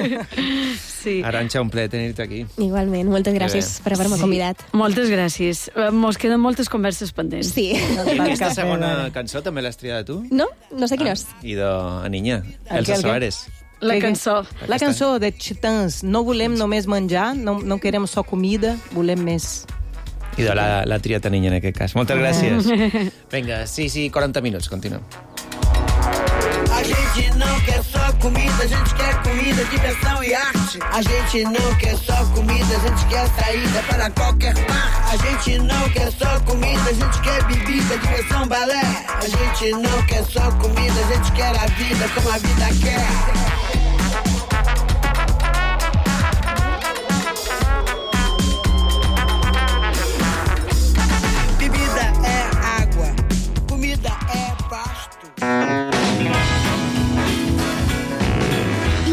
Sí. Arantxa, un plaer tenir-te aquí. Igualment, moltes gràcies per haver-me convidat. Moltes gràcies. Mos queden moltes converses pendents. Sí. I aquesta segona cançó també l'has triada tu? No sé quina és. I d'Aniña, Elsa Soares. La cançó. La cançó de Titans. No volem només menjar, no querem só comida, volem més. I de la triat Aniña, en aquest cas. Moltes gràcies. Vinga, 40 minuts, continuem. A gente não quer só comida, a gente quer comida, diversão e arte. A gente não quer só comida, a gente quer saída para qualquer parte. A gente não quer só comida, a gente quer bebida, diversão, balé. A gente não quer só comida, a gente quer a vida como a vida quer.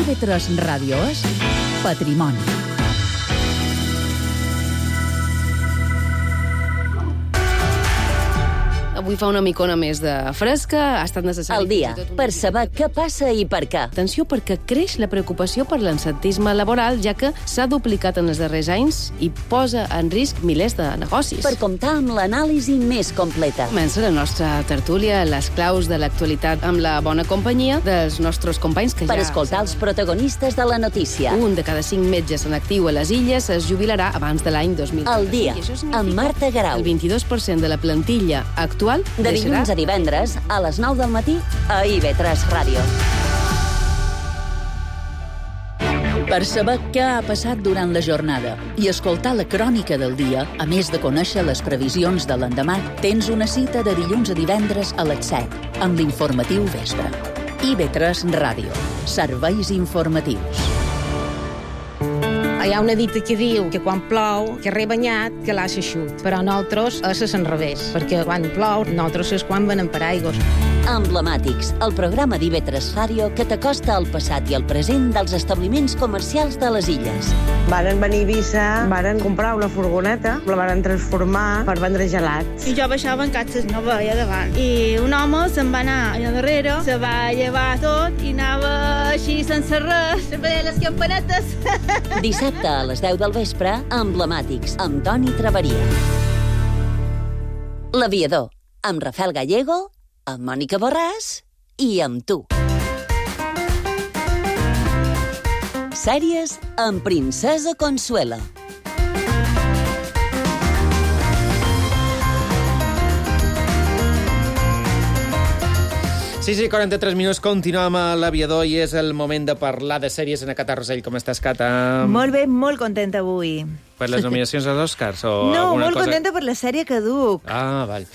IB3 Ràdio és Patrimoni. Avui fa una micona més de fresca, ha estat necessari... Al dia, per saber què passa i per què. Atenció, perquè creix la preocupació per l'absentisme laboral, ja que s'ha duplicat en els darrers anys i posa en risc milers de negocis. Per comptar amb l'anàlisi més completa. Comença la nostra tertúlia, les claus de l'actualitat amb la bona companyia dels nostres companys que per escoltar els protagonistes de la notícia. Un de cada 5 metges en actiu a les Illes es jubilarà abans de l'any 2030. Al dia, amb Marta Garau. El 22% de la plantilla actual de dilluns a divendres, a les 9 del matí, a IB3 Ràdio. Per saber què ha passat durant la jornada i escoltar la crònica del dia, a més de conèixer les previsions de l'endemà, tens una cita de dilluns a divendres a les 7, amb l'informatiu vespre. IB3 Ràdio. Serveis informatius. Hi ha una dita que diu que quan plou, que re banyat, que l'ha eixut. Però nosaltres és al revés, perquè quan plou, nosaltres és quan venem per aigües. Emblemàtics, el programa d'IB3 Ràdio que t'acosta al passat i al present dels establiments comercials de les Illes. Varen venir a Eivissa, varen comprar una furgoneta, la varen transformar per vendre gelats. I jo baixava en catxes, no veia davant. I un home se'n va anar allà darrere, se va llevar tot i anava així sense res, sempre les campanetes. Dissabte a les 10 del vespre, Emblemàtics, amb Toni Traveria. L'Aviador, amb Rafael Gallego, amb Mònica Borràs i amb tu. Sèries amb Princesa Consuela. Sí, 43 minuts, continuem a l'Aviador i és el moment de parlar de sèries en Cata Rosell. Com estàs, Cata? Molt bé, molt contenta avui. Per les nominacions als Oscars? No, molt contenta per la sèrie que duc. Ah, val.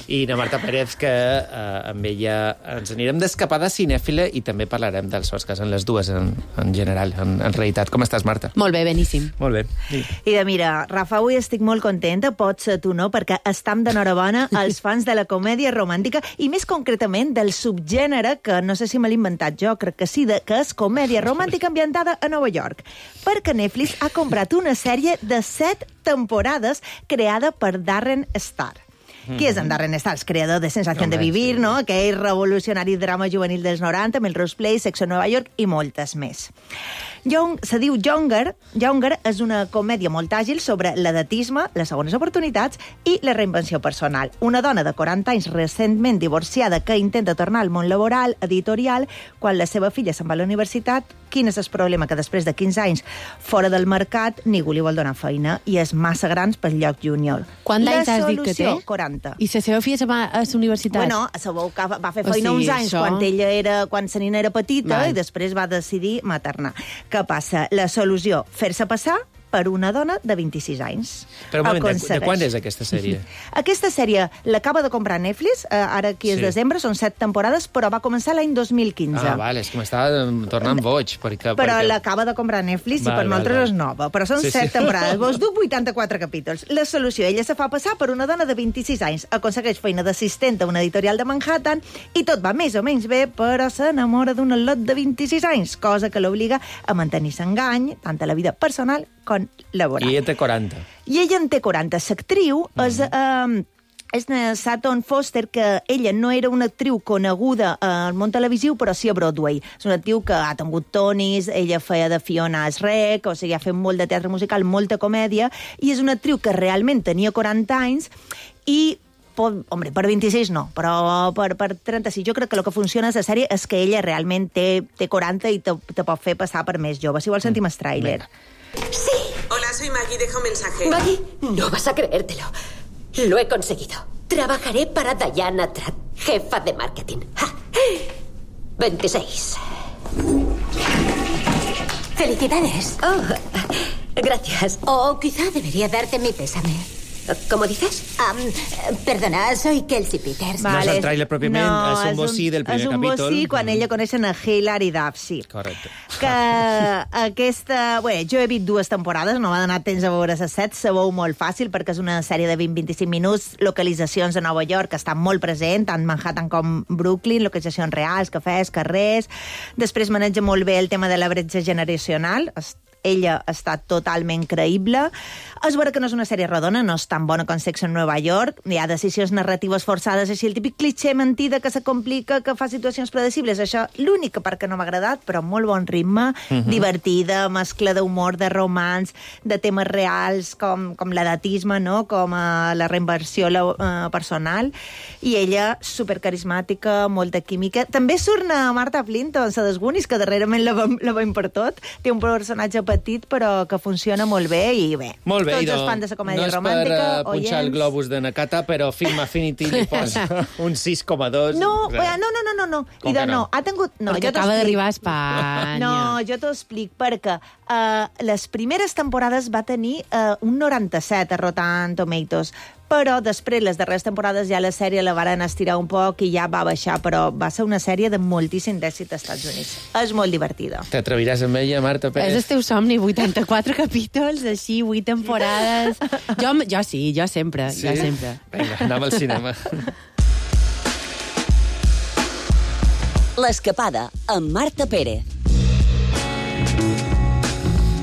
I na Marta Pérez, que amb ella ens anirem d'escapada cinèfila i també parlarem dels Oscars, en les dues, en general, en realitat. Com estàs, Marta? Molt bé, beníssim. Molt bé. I mira, Rafa, avui estic molt contenta, pots ser tu, no?, perquè estam d'enhorabona als fans de la comèdia romàntica i més concretament del subgènere, que no sé si me l'he inventat jo, crec que sí, que és comèdia romàntica ambientada a Nova York. Perquè Netflix ha comprat una sèrie de 7 temporades creada per Darren Star. Qui és en Darren Star? El creador de Sensación de Vivir, no? Aquell revolucionari drama juvenil dels 90, Melrose Place, Sexo en Nova York i moltes més. Se diu Younger. Younger és una comèdia molt àgil sobre l'edatisme, les segones oportunitats i la reinvenció personal. Una dona de 40 anys recentment divorciada que intenta tornar al món laboral, editorial, quan la seva filla se'n va a la universitat. Quin és el problema? Que després de 15 anys fora del mercat ningú li vol donar feina i és massa grans pel lloc júnior. Quants anys has dit que té? 40. I la seva filla se'n va a la universitat? Bueno, sabeu que va fer feina uns anys quan sa nina era petita i després va decidir maternar. Què passa? La solució, fer-se passar per una dona de 26 anys. Però un moment, de quan és aquesta sèrie? Aquesta sèrie l'acaba de comprar Netflix, ara aquí és desembre, són 7 temporades, però va començar l'any 2015. Ah, vale, és que m'estava tornant boig. Però l'acaba de comprar Netflix i per nosaltres és nova. Però són 7 temporades, vos duc 84 capítols. La solució, ella se fa passar per una dona de 26 anys, aconsegueix feina d'assistent a una editorial de Manhattan i tot va més o menys bé, però s'enamora d'un al·lot de 26 anys, cosa que l'obliga a mantenir-se engany, tant a la vida personal com laboral. I ella té 40. I ella en té 40. L'actriu és Sutton Foster, que ella no era una actriu coneguda al món televisiu, però sí a Broadway. És una actriu que ha tingut Tonys, ella feia de Fiona Shrek, o sigui, ha fet molt de teatre musical, molta comèdia, i és una actriu que realment tenia 40 anys i hombre, per 26 no, però per 36 jo crec que el que funciona a la sèrie és que ella realment té 40 i te pot fer passar per més jove. Si vols sentim el tràiler. Sí. Hola, soy Maggie, deja un mensaje. Maggie, no vas a creértelo. Lo he conseguido. Trabajaré para Diana Tratt, jefa de marketing. 26. ¡Felicidades! Oh, gracias. O quizá debería darte mi pésame. ¿Cómo dices? Perdona, soy Kelsey Peters. No és el tràiler pròpiament, és un bocí del primer capítol. És un bocí quan ella coneixen a Hilary Duff, sí. Correcte. Que aquesta... Bé, jo he vist 2 temporades, no m'ha donat temps a veure les 7, sabeu molt fàcil, perquè és una sèrie de 20-25 minuts, localitzacions a Nova York, que estan molt present, tant Manhattan com Brooklyn, localitzacions reals, cafès, carrers. Després maneja molt bé el tema de la bretxa generacional, ella està totalment creïble. És vera que no és una sèrie rodona, no és tan bona com Sex en Nova York, hi ha decisions narratives forçades, així el típic clitxé mentida que se complica, que fa situacions predecibles. Això, l'única part que no m'ha agradat, però molt bon ritme, divertida, mescla d'humor, de romans, de temes reals, com l'edatisme, no? Com la reinversió personal, i ella supercarismàtica, molta química. També surt a Marta Plimpton, la desgunis, que darrerament la veiem per tot. Té un personatge petit, però que funciona molt bé, i bé, molt bé, tots els fans de la comèdia romàntica, no és per punxar el globus de Nakata, però Film Affinity li posa un 6,2. No. Com que no? Ha tingut... No, perquè acaba d'arribar a Espanya. No, jo t'ho explic, perquè les primeres temporades va tenir un 97 a Rotten Tomatoes, però després, les darreres temporades, ja la sèrie la varen estirar un poc i ja va baixar, però va ser una sèrie de moltíssim d'èxit als Estats Units. És molt divertida. T'atreviràs amb ella, Marta Pérez? És el teu somni, 84 capítols, així, 8 temporades... Jo sí, jo sempre. Sí? Jo sempre. Vinga, anem al cinema. L'escapada amb Marta Pérez.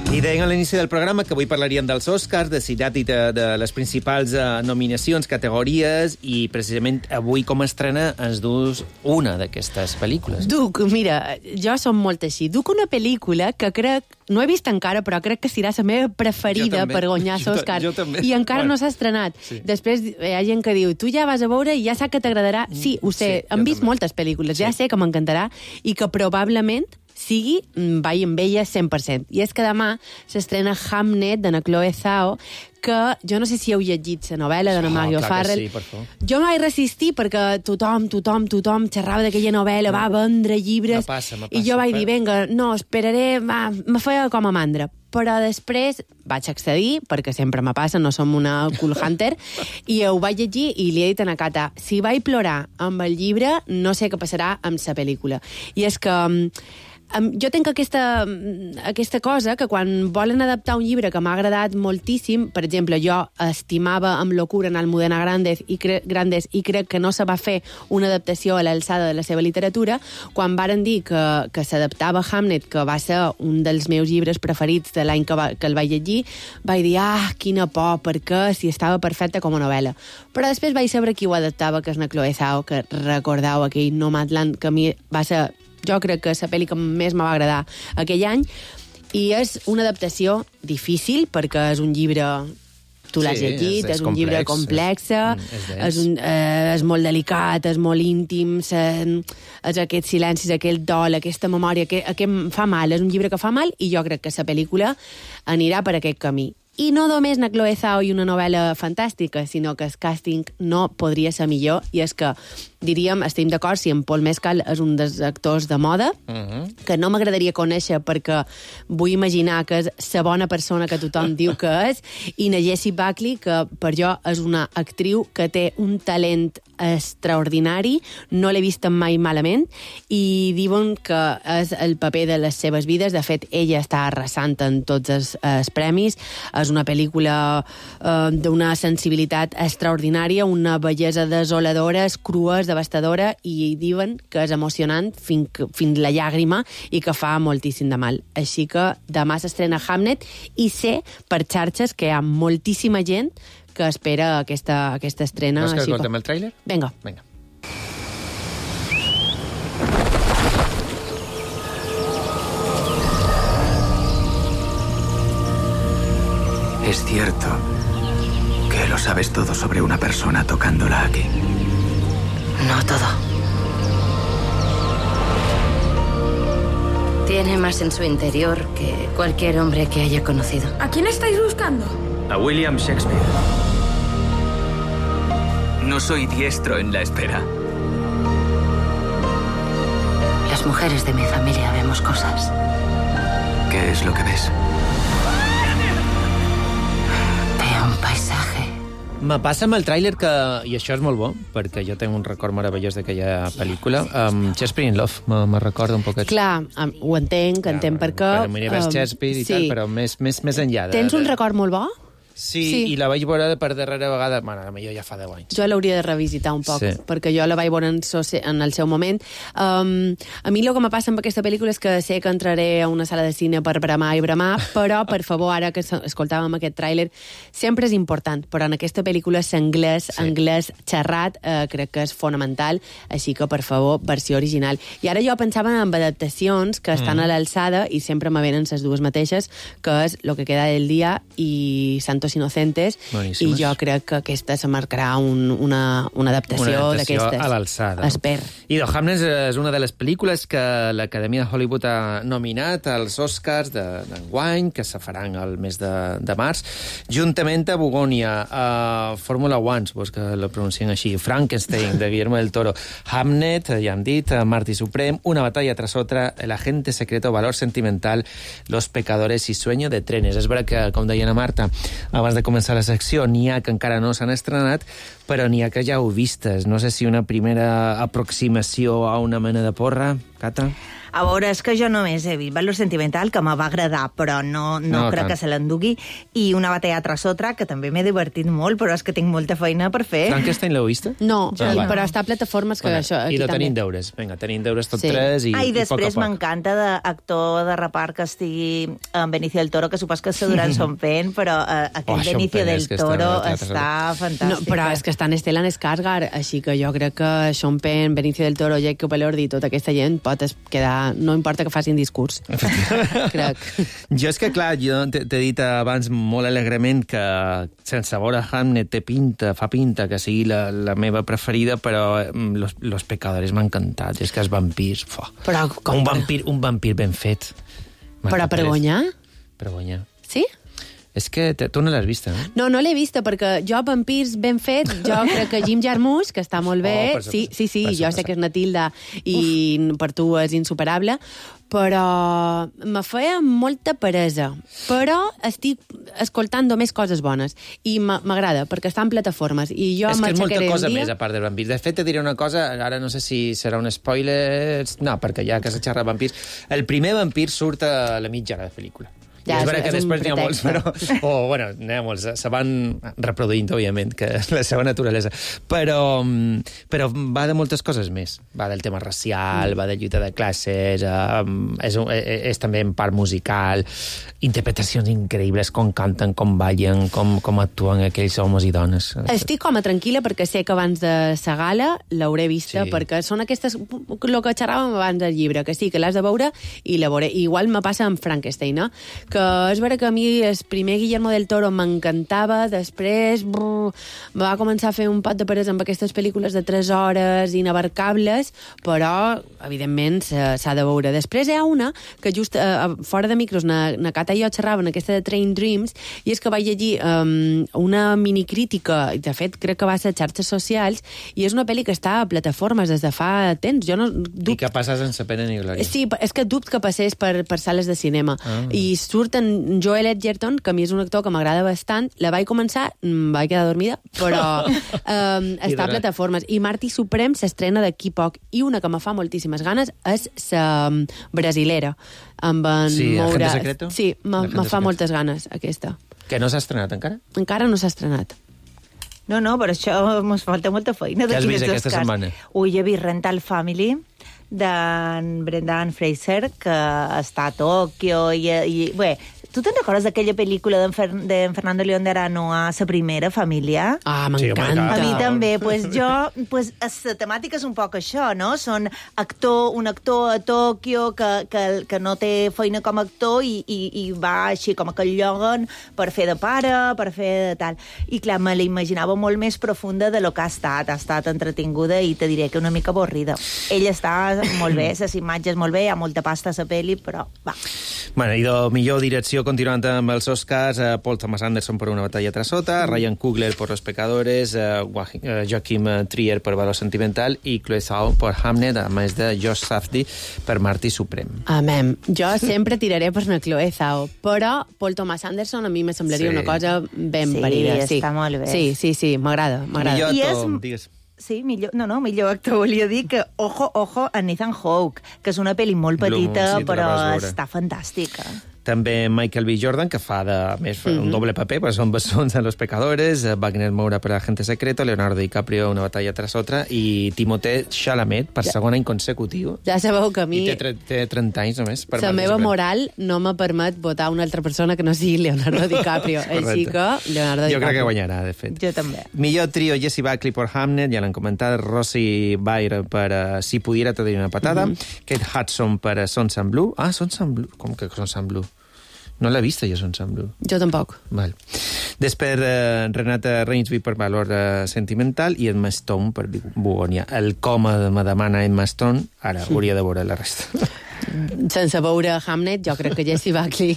I deien a l'inici del programa que avui parlaríem dels Oscars, de citat i de les principals nominacions, categories, i precisament avui com estrena ens dus una d'aquestes pel·lícules. Duc, mira, jo som molt així. Duc una pel·lícula que crec, no he vist encara, però crec que serà la meva preferida per guanyar l'Oscar. I encara no s'ha estrenat. Sí. Després hi ha gent que diu, tu ja vas a veure i ja sap que t'agradarà. Sí, ho sé, hem vist moltes pel·lícules, ja sé que m'encantarà i que probablement sigui, vaig amb ella 100%. I és que demà s'estrena Hamnet, de la Chloe Zhao, que jo no sé si heu llegit la novel·la de la Maggie O'Farrell. Sí, per favor. Jo m'vaig resistir perquè tothom xerrava d'aquella novel·la, va vendre llibres, Me passa. i jo vaig dir, vinga, no, esperaré, me feia com a mandra. Però després vaig accedir, perquè sempre me passa, no som una cool hunter, i ho vaig llegir i li he dit a na Cata, si vaig plorar amb el llibre, no sé què passarà amb la pel·lícula. I és que jo tinc aquesta cosa que quan volen adaptar un llibre que m'ha agradat moltíssim, per exemple, jo estimava amb locura en Almudena Grandes i crec que no se va fer una adaptació a l'alçada de la seva literatura, quan varen dir que s'adaptava Hamnet, que va ser un dels meus llibres preferits de l'any que el vaig llegir, vaig dir, quina por, perquè si estava perfecta com a novel·la. Però després vaig saber qui ho adaptava, que és la Chloe Zhao, que recordeu aquell Nomadland, que a mi va ser... Jo crec que la pel·li que més me va agradar aquell any, i és una adaptació difícil, perquè és un llibre... Tu l'has llegit, és un llibre complex, és molt delicat, és molt íntim, és aquests silencis, aquell dol, aquesta memòria, que fa mal, és un llibre que fa mal, i jo crec que la pel·lícula anirà per aquest camí. I no només na Chloe Zhao i una novel·la fantàstica, sinó que el càsting no podria ser millor, i és que, diríem, estem d'acord si en Paul Mescal és un dels actors de moda, que no m'agradaria conèixer perquè vull imaginar que és la bona persona que tothom diu que és, i na Jessie Buckley, que per jo és una actriu que té un talent extraordinari, no l'he vist mai malament, i diuen que és el paper de les seves vides. De fet, ella està arrasant en tots els premis. És una pel·lícula d'una sensibilitat extraordinària, una bellesa desoladora, és crua, és devastadora, i diuen que és emocionant fins la llàgrima i que fa moltíssim de mal. Així que demà s'estrena Hamnet, i sé per xarxes que hi ha moltíssima gent que espera aquesta estrena. Vols que escoltem el tràiler? Vinga. Es cierto que lo sabes todo sobre una persona tocándola aquí. No todo. Tiene más en su interior que cualquier hombre que haya conocido. ¿A quién estáis buscando? A William Shakespeare. No soy diestro en la espera. Las mujeres de mi familia vemos cosas. ¿Qué es lo que ves? Veo un paisaje. Me passa amb el tràiler que, i això és molt bo, perquè jo tinc un record meravellós d'aquella pel·lícula, Shakespeare in Love, me recorda un poquet. Clar, ho entenc per què... Per l'univers Shakespeare i tal, però més enllà. Tens un record molt bo? Sí, i la vaig veure per darrera vegada, bueno, potser ja fa 10 anys. Jo l'hauria de revisitar un poc, perquè jo la vaig veure en el seu moment. A mi el que me passa amb aquesta pel·lícula és que sé que entraré a una sala de cine per bramar i bramar, però, per favor, ara que escoltàvem aquest tràiler, sempre és important, però en aquesta pel·lícula anglès xerrat crec que és fonamental, així que, per favor, versió original. I ara jo pensava en adaptacions que estan a l'alçada i sempre me venen les dues mateixes, que és Lo que queda del dia i Santos Inocentes, boníssimes. I jo crec que aquesta se marcarà una adaptació d'aquestes. A l'alçada. Esper. I The Hamnet és una de les pel·lícules que l'Acadèmia de Hollywood ha nominat als Oscars d'enguany, que se faran el mes de març, juntament a Bogònia, a Fórmula 1, pues que la pronuncien així, Frankenstein, de Guillermo del Toro, Hamnet, ja hem dit, Martí Suprem, Una batalla tras otra, El agente secreto, Valor sentimental, Los pecadores i Sueño de trenes. És vera que, com deia la Marta, abans de començar la secció, n'hi ha que encara no s'han estrenat, però n'hi ha que ja heu vistes. No sé si una primera aproximació a una mena de porra, Cata? A veure, és que jo només he vist Valor sentimental, que me va agradar, però no crec que se l'endugui, i Una batalla tras otra, que també m'he divertit molt, però és que tinc molta feina per fer. Frankenstein l'heu vist? No, però està a plataformes que això... I tenim deures. Vinga, tenim deures tots tres i després m'encanta d'actor de repart que estigui en Benicio del Toro, que supos que se duran Sean Penn, però aquell Benicio del Toro està fantàstic. Però és que està en Stellan Skarsgård, així que jo crec que Sean Penn, Benicio del Toro, Jacob Elordi i tota aquesta gent pot quedar ja no importa que facin discurs. Crec. Jo és que, clar, jo t'he dit abans molt alegrement que sense veure Hamnet fa pinta que sigui la meva preferida, però Los Pecadores m'ha encantat. És que els vampirs... Però com... Un vampir ben fet. Però per guanyar? Per guanyar. Sí? És que tu no l'has vista, no? No l'he vista, perquè jo, vampirs ben fet, jo crec que Jim Jarmusch, que està molt bé, sí, jo sé que és Natilda i per tu és insuperable, però me feia molta peresa. Però estic escoltant només coses bones i m'agrada, perquè està en plataformes. I jo és que és molta cosa dia... més, a part de vampirs. De fet, te diré una cosa, ara no sé si serà un spoiler... No, perquè ja que se xerra de vampirs... El primer vampir surt a la mitja hora de pel·lícula. Ja, és vera que després n'hi ha molts, però... n'hi ha molts, se van reproduint, òbviament, que és la seva naturalesa. Però va de moltes coses més. Va del tema racial, va de lluita de classes, és també en part musical, interpretacions increïbles, com canten, com ballen, com actuen aquells homes i dones. Estic com a tranquil·la perquè sé que abans de sa gala l'hauré vista, perquè són aquestes... El que xerràvem abans del llibre, que sí, que l'has de veure i la veuré. Igual me passa amb Frankenstein, no? Que és vera que a mi el primer Guillermo del Toro m'encantava, després va començar a fer un pot de peresa amb aquestes pel·lícules de 3 hores inabarcables, però evidentment s'ha de veure. Després hi ha una que just fora de micros na Cata i jo xerraven, aquesta de Train Dreams, i és que vaig llegir una minicrítica, de fet crec que va ser a xarxes socials, i és una pel·li que està a plataformes des de fa temps. Jo no I que passa sense pena ni glòria. Sí, és que dubte que passés per sales de cinema. I surt en Joel Edgerton, que a mi és un actor que m'agrada bastant. La vaig començar, vaig quedar dormida, però està a plataformes. I Marty Supreme s'estrena d'aquí poc. I una que me fa moltíssimes ganes és la brasilera. Amb en Agente Secreto? Sí, me fa moltes ganes, aquesta. Que no s'ha estrenat encara? Encara no s'ha estrenat. No, per això mos falta molta feina. Què has vist aquesta setmana? He vist Rental Family, d'en Brendan Fraser, que està a Tòquio i bé, tu te'n recordes d'aquella pel·lícula d'en Fernando León de Arano a Sa primera família? Ah, m'encanta. A mi també. La temàtica és un poc això, no? Són un actor a Tòquio que no té feina com a actor i va així com a que el lloguen per fer de pare, per fer de tal. I clar, me la imaginava molt més profunda de lo que ha estat entretinguda i te diré que una mica avorrida. Ell està molt bé, les imatges molt bé, hi ha molta pasta a la pel·li, però va. Bueno, i de millor direcció, continuant amb els Oscars, Paul Thomas Anderson per Una batalla tras otra, Ryan Coogler por Los Pecadores, Joachim Trier per Valor Sentimental i Chloe Zhao per Hamnet, a més de Josh Safdie per Marty Supreme. Amém. Jo sempre tiraré per una Chloe Zhao, però Paul Thomas Anderson a mi me semblaria una cosa ben parida. Sí, està molt bé. Sí, m'agrada. Millor actor, digues. Sí, millor actor. Volia dir que ojo a Nathan Hawke, que és una pel·li molt petita, però està fantàstica. També Michael B. Jordan, que fa un doble paper, perquè són bessons en Los Pecadores, Wagner Moura per Agente Secreto, Leonardo DiCaprio, Una batalla tras otra, i Timothée Chalamet per segon any consecutiu. Ja sabeu que a mi... I té 30 anys només. La meva moral no me permet votar una altra persona que no sigui Leonardo DiCaprio. Així que Leonardo DiCaprio. Jo crec que guanyarà, de fet. Jo també. Millor trio, Jessie Buckley per Hamnet, ja l'han comentat, Rosie Byrne per Si pudiera te doy una patada, Kate Hudson per Sons and Blue. Ah, Sons and Blue. Com que Sons and Blue? No l'he vista, jo, Sons and Blue. Jo tampoc. Val. Després, Renata Reinsby per Valor Sentimental i Emma Stone per Bugonia. El coma me demana Emma Stone, ara hauria de veure la resta. Sense veure Hamnet, jo crec que Jessie Buckley...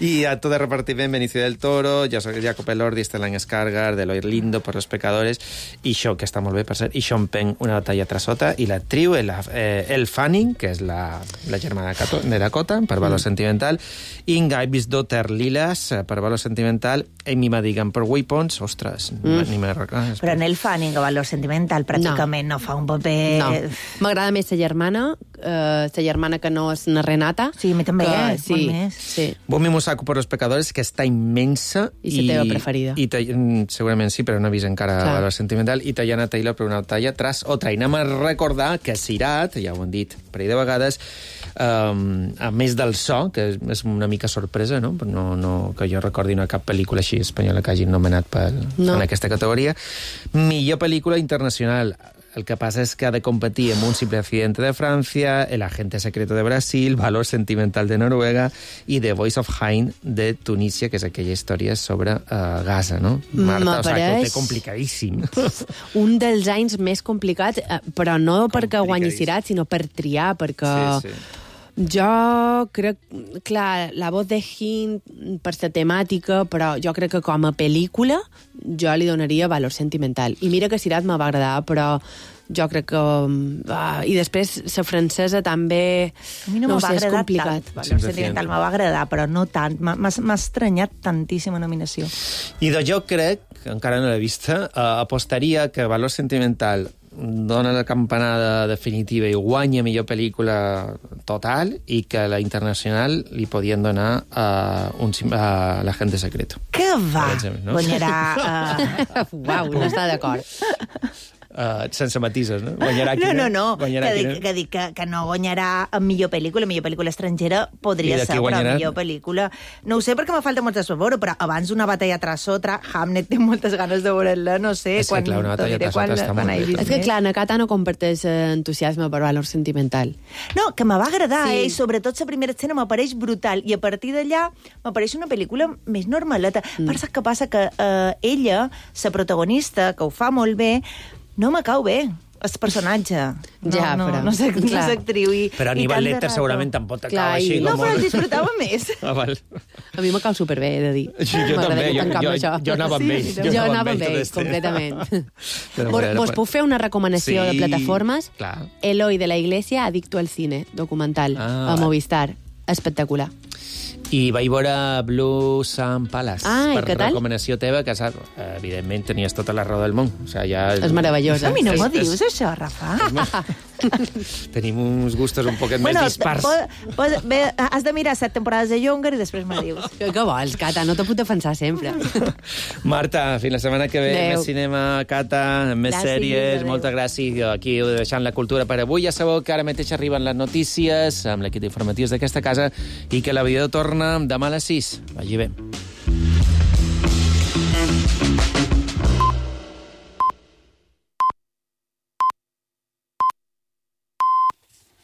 I a tot de repartiment, Benicio del Toro, Jacob Elordi, Stellan Skarsgård, Eloy Lindo per Los Pecadores, i això, que està molt bé, per cert, i Sean Penn, Una batalla tras otra, i l'actriu, Elle Fanning, que és la germana de Dakota, per Valor Sentimental, Inga Ibisdotter Lilas, per Valor Sentimental, Amy Madigan per Weapons, ostres, ni me recordo. Però en Elle Fanning, a Valor Sentimental, pràcticament no fa un paper... No, m'agrada més la germana que no és una Renata. Sí, a mi també, molt més. Sí. Bomi Musaku per Los Pecadores, que està immensa. I la teva preferida. Segurament sí, però no he vist encara Valor Sentimental. I Tayana Taylor per Una batalla tras otra. I anem a recordar que Sirat, ja ho han dit un parell de vegades, a més del so, que és una mica sorpresa, no? Que jo recordi una cap pel·lícula així espanyola que hagin nomenat en aquesta categoria. Millor pel·lícula internacional. El que passa és que ha de competir amb Un simple accidente de Francia, El agente secreto de Brasil, Valor sentimental de Noruega i The Voice of Hein de Tunísia, que és aquella història sobre Gaza, no? Marta, o sigui, que ho té complicadíssim. Un dels anys més complicats, però no perquè guanyi Sirat, sinó per triar, perquè... Sí. Jo crec, clar, La voz de Hind per la temàtica, però jo crec que com a pel·lícula jo li donaria Valor sentimental. I mira que Sirat me va agradar, però jo crec que... I després la francesa també... A mi no m'ha agradat tant. Valor sentimental me va agradar, però no tant. M'ha estranyat tantíssima nominació. I jo crec, que encara no l'he vista, apostaria que Valor sentimental dona la campanada definitiva i guanya millor pel·lícula total i que la internacional li podien donar a l'agente secreto. Que va! No? Guanyarà... Uau, no està d'acord. Sense matisos, no? Guanyarà quina? No. Que dic que no guanyarà en millor pel·lícula estrangera podria ser, però millor pel·lícula... No ho sé perquè me falta molt de veure, però abans Una batalla tras otra, Hamnet té moltes ganes de veure-la, no sé... És que, clar, Una batalla tras otra està molt bé. És que, clar, Nakata no comparteix entusiasme per Valor sentimental. No, que me va agradar, i sobretot la primera escena m'apareix brutal, i a partir d'allà m'apareix una pel·lícula més normaleta. Però saps què passa? Que ella, la protagonista, que ho fa molt bé, no me cau bé, el personatge. No sé actriu. Però Aníbal Lecter segurament tampoc t'acaba així. No, però el disfrutava més. A mi me cau superbé, he de dir. Jo també, jo anava amb ell. Jo anava amb ell, completament. Vos puc fer una recomanació de plataformes? Eloy de la Iglesia, adicto al cine, documental, a Movistar. Espectacular. I vaig veure Blue Sun Palace per recomanació teva, que evidentment tenies tota la raó del món. O sigui, és meravellosa. A mi no m'ho dius, això, Rafa? Tenim uns gustos un poquet més dispars. Has de mirar 7 temporades de Younger i després me dius. Què vols, Cata? No te puc defensar sempre. Marta, fins la setmana que ve. Més cinema, Cata, més sèries. Moltes gràcies. Aquí deixant la cultura per avui. Ja sabeu que ara mateix arriben les notícies amb l'equip d'informatius d'aquesta casa i que l'aviador torna demà a les 6. Vagi bé.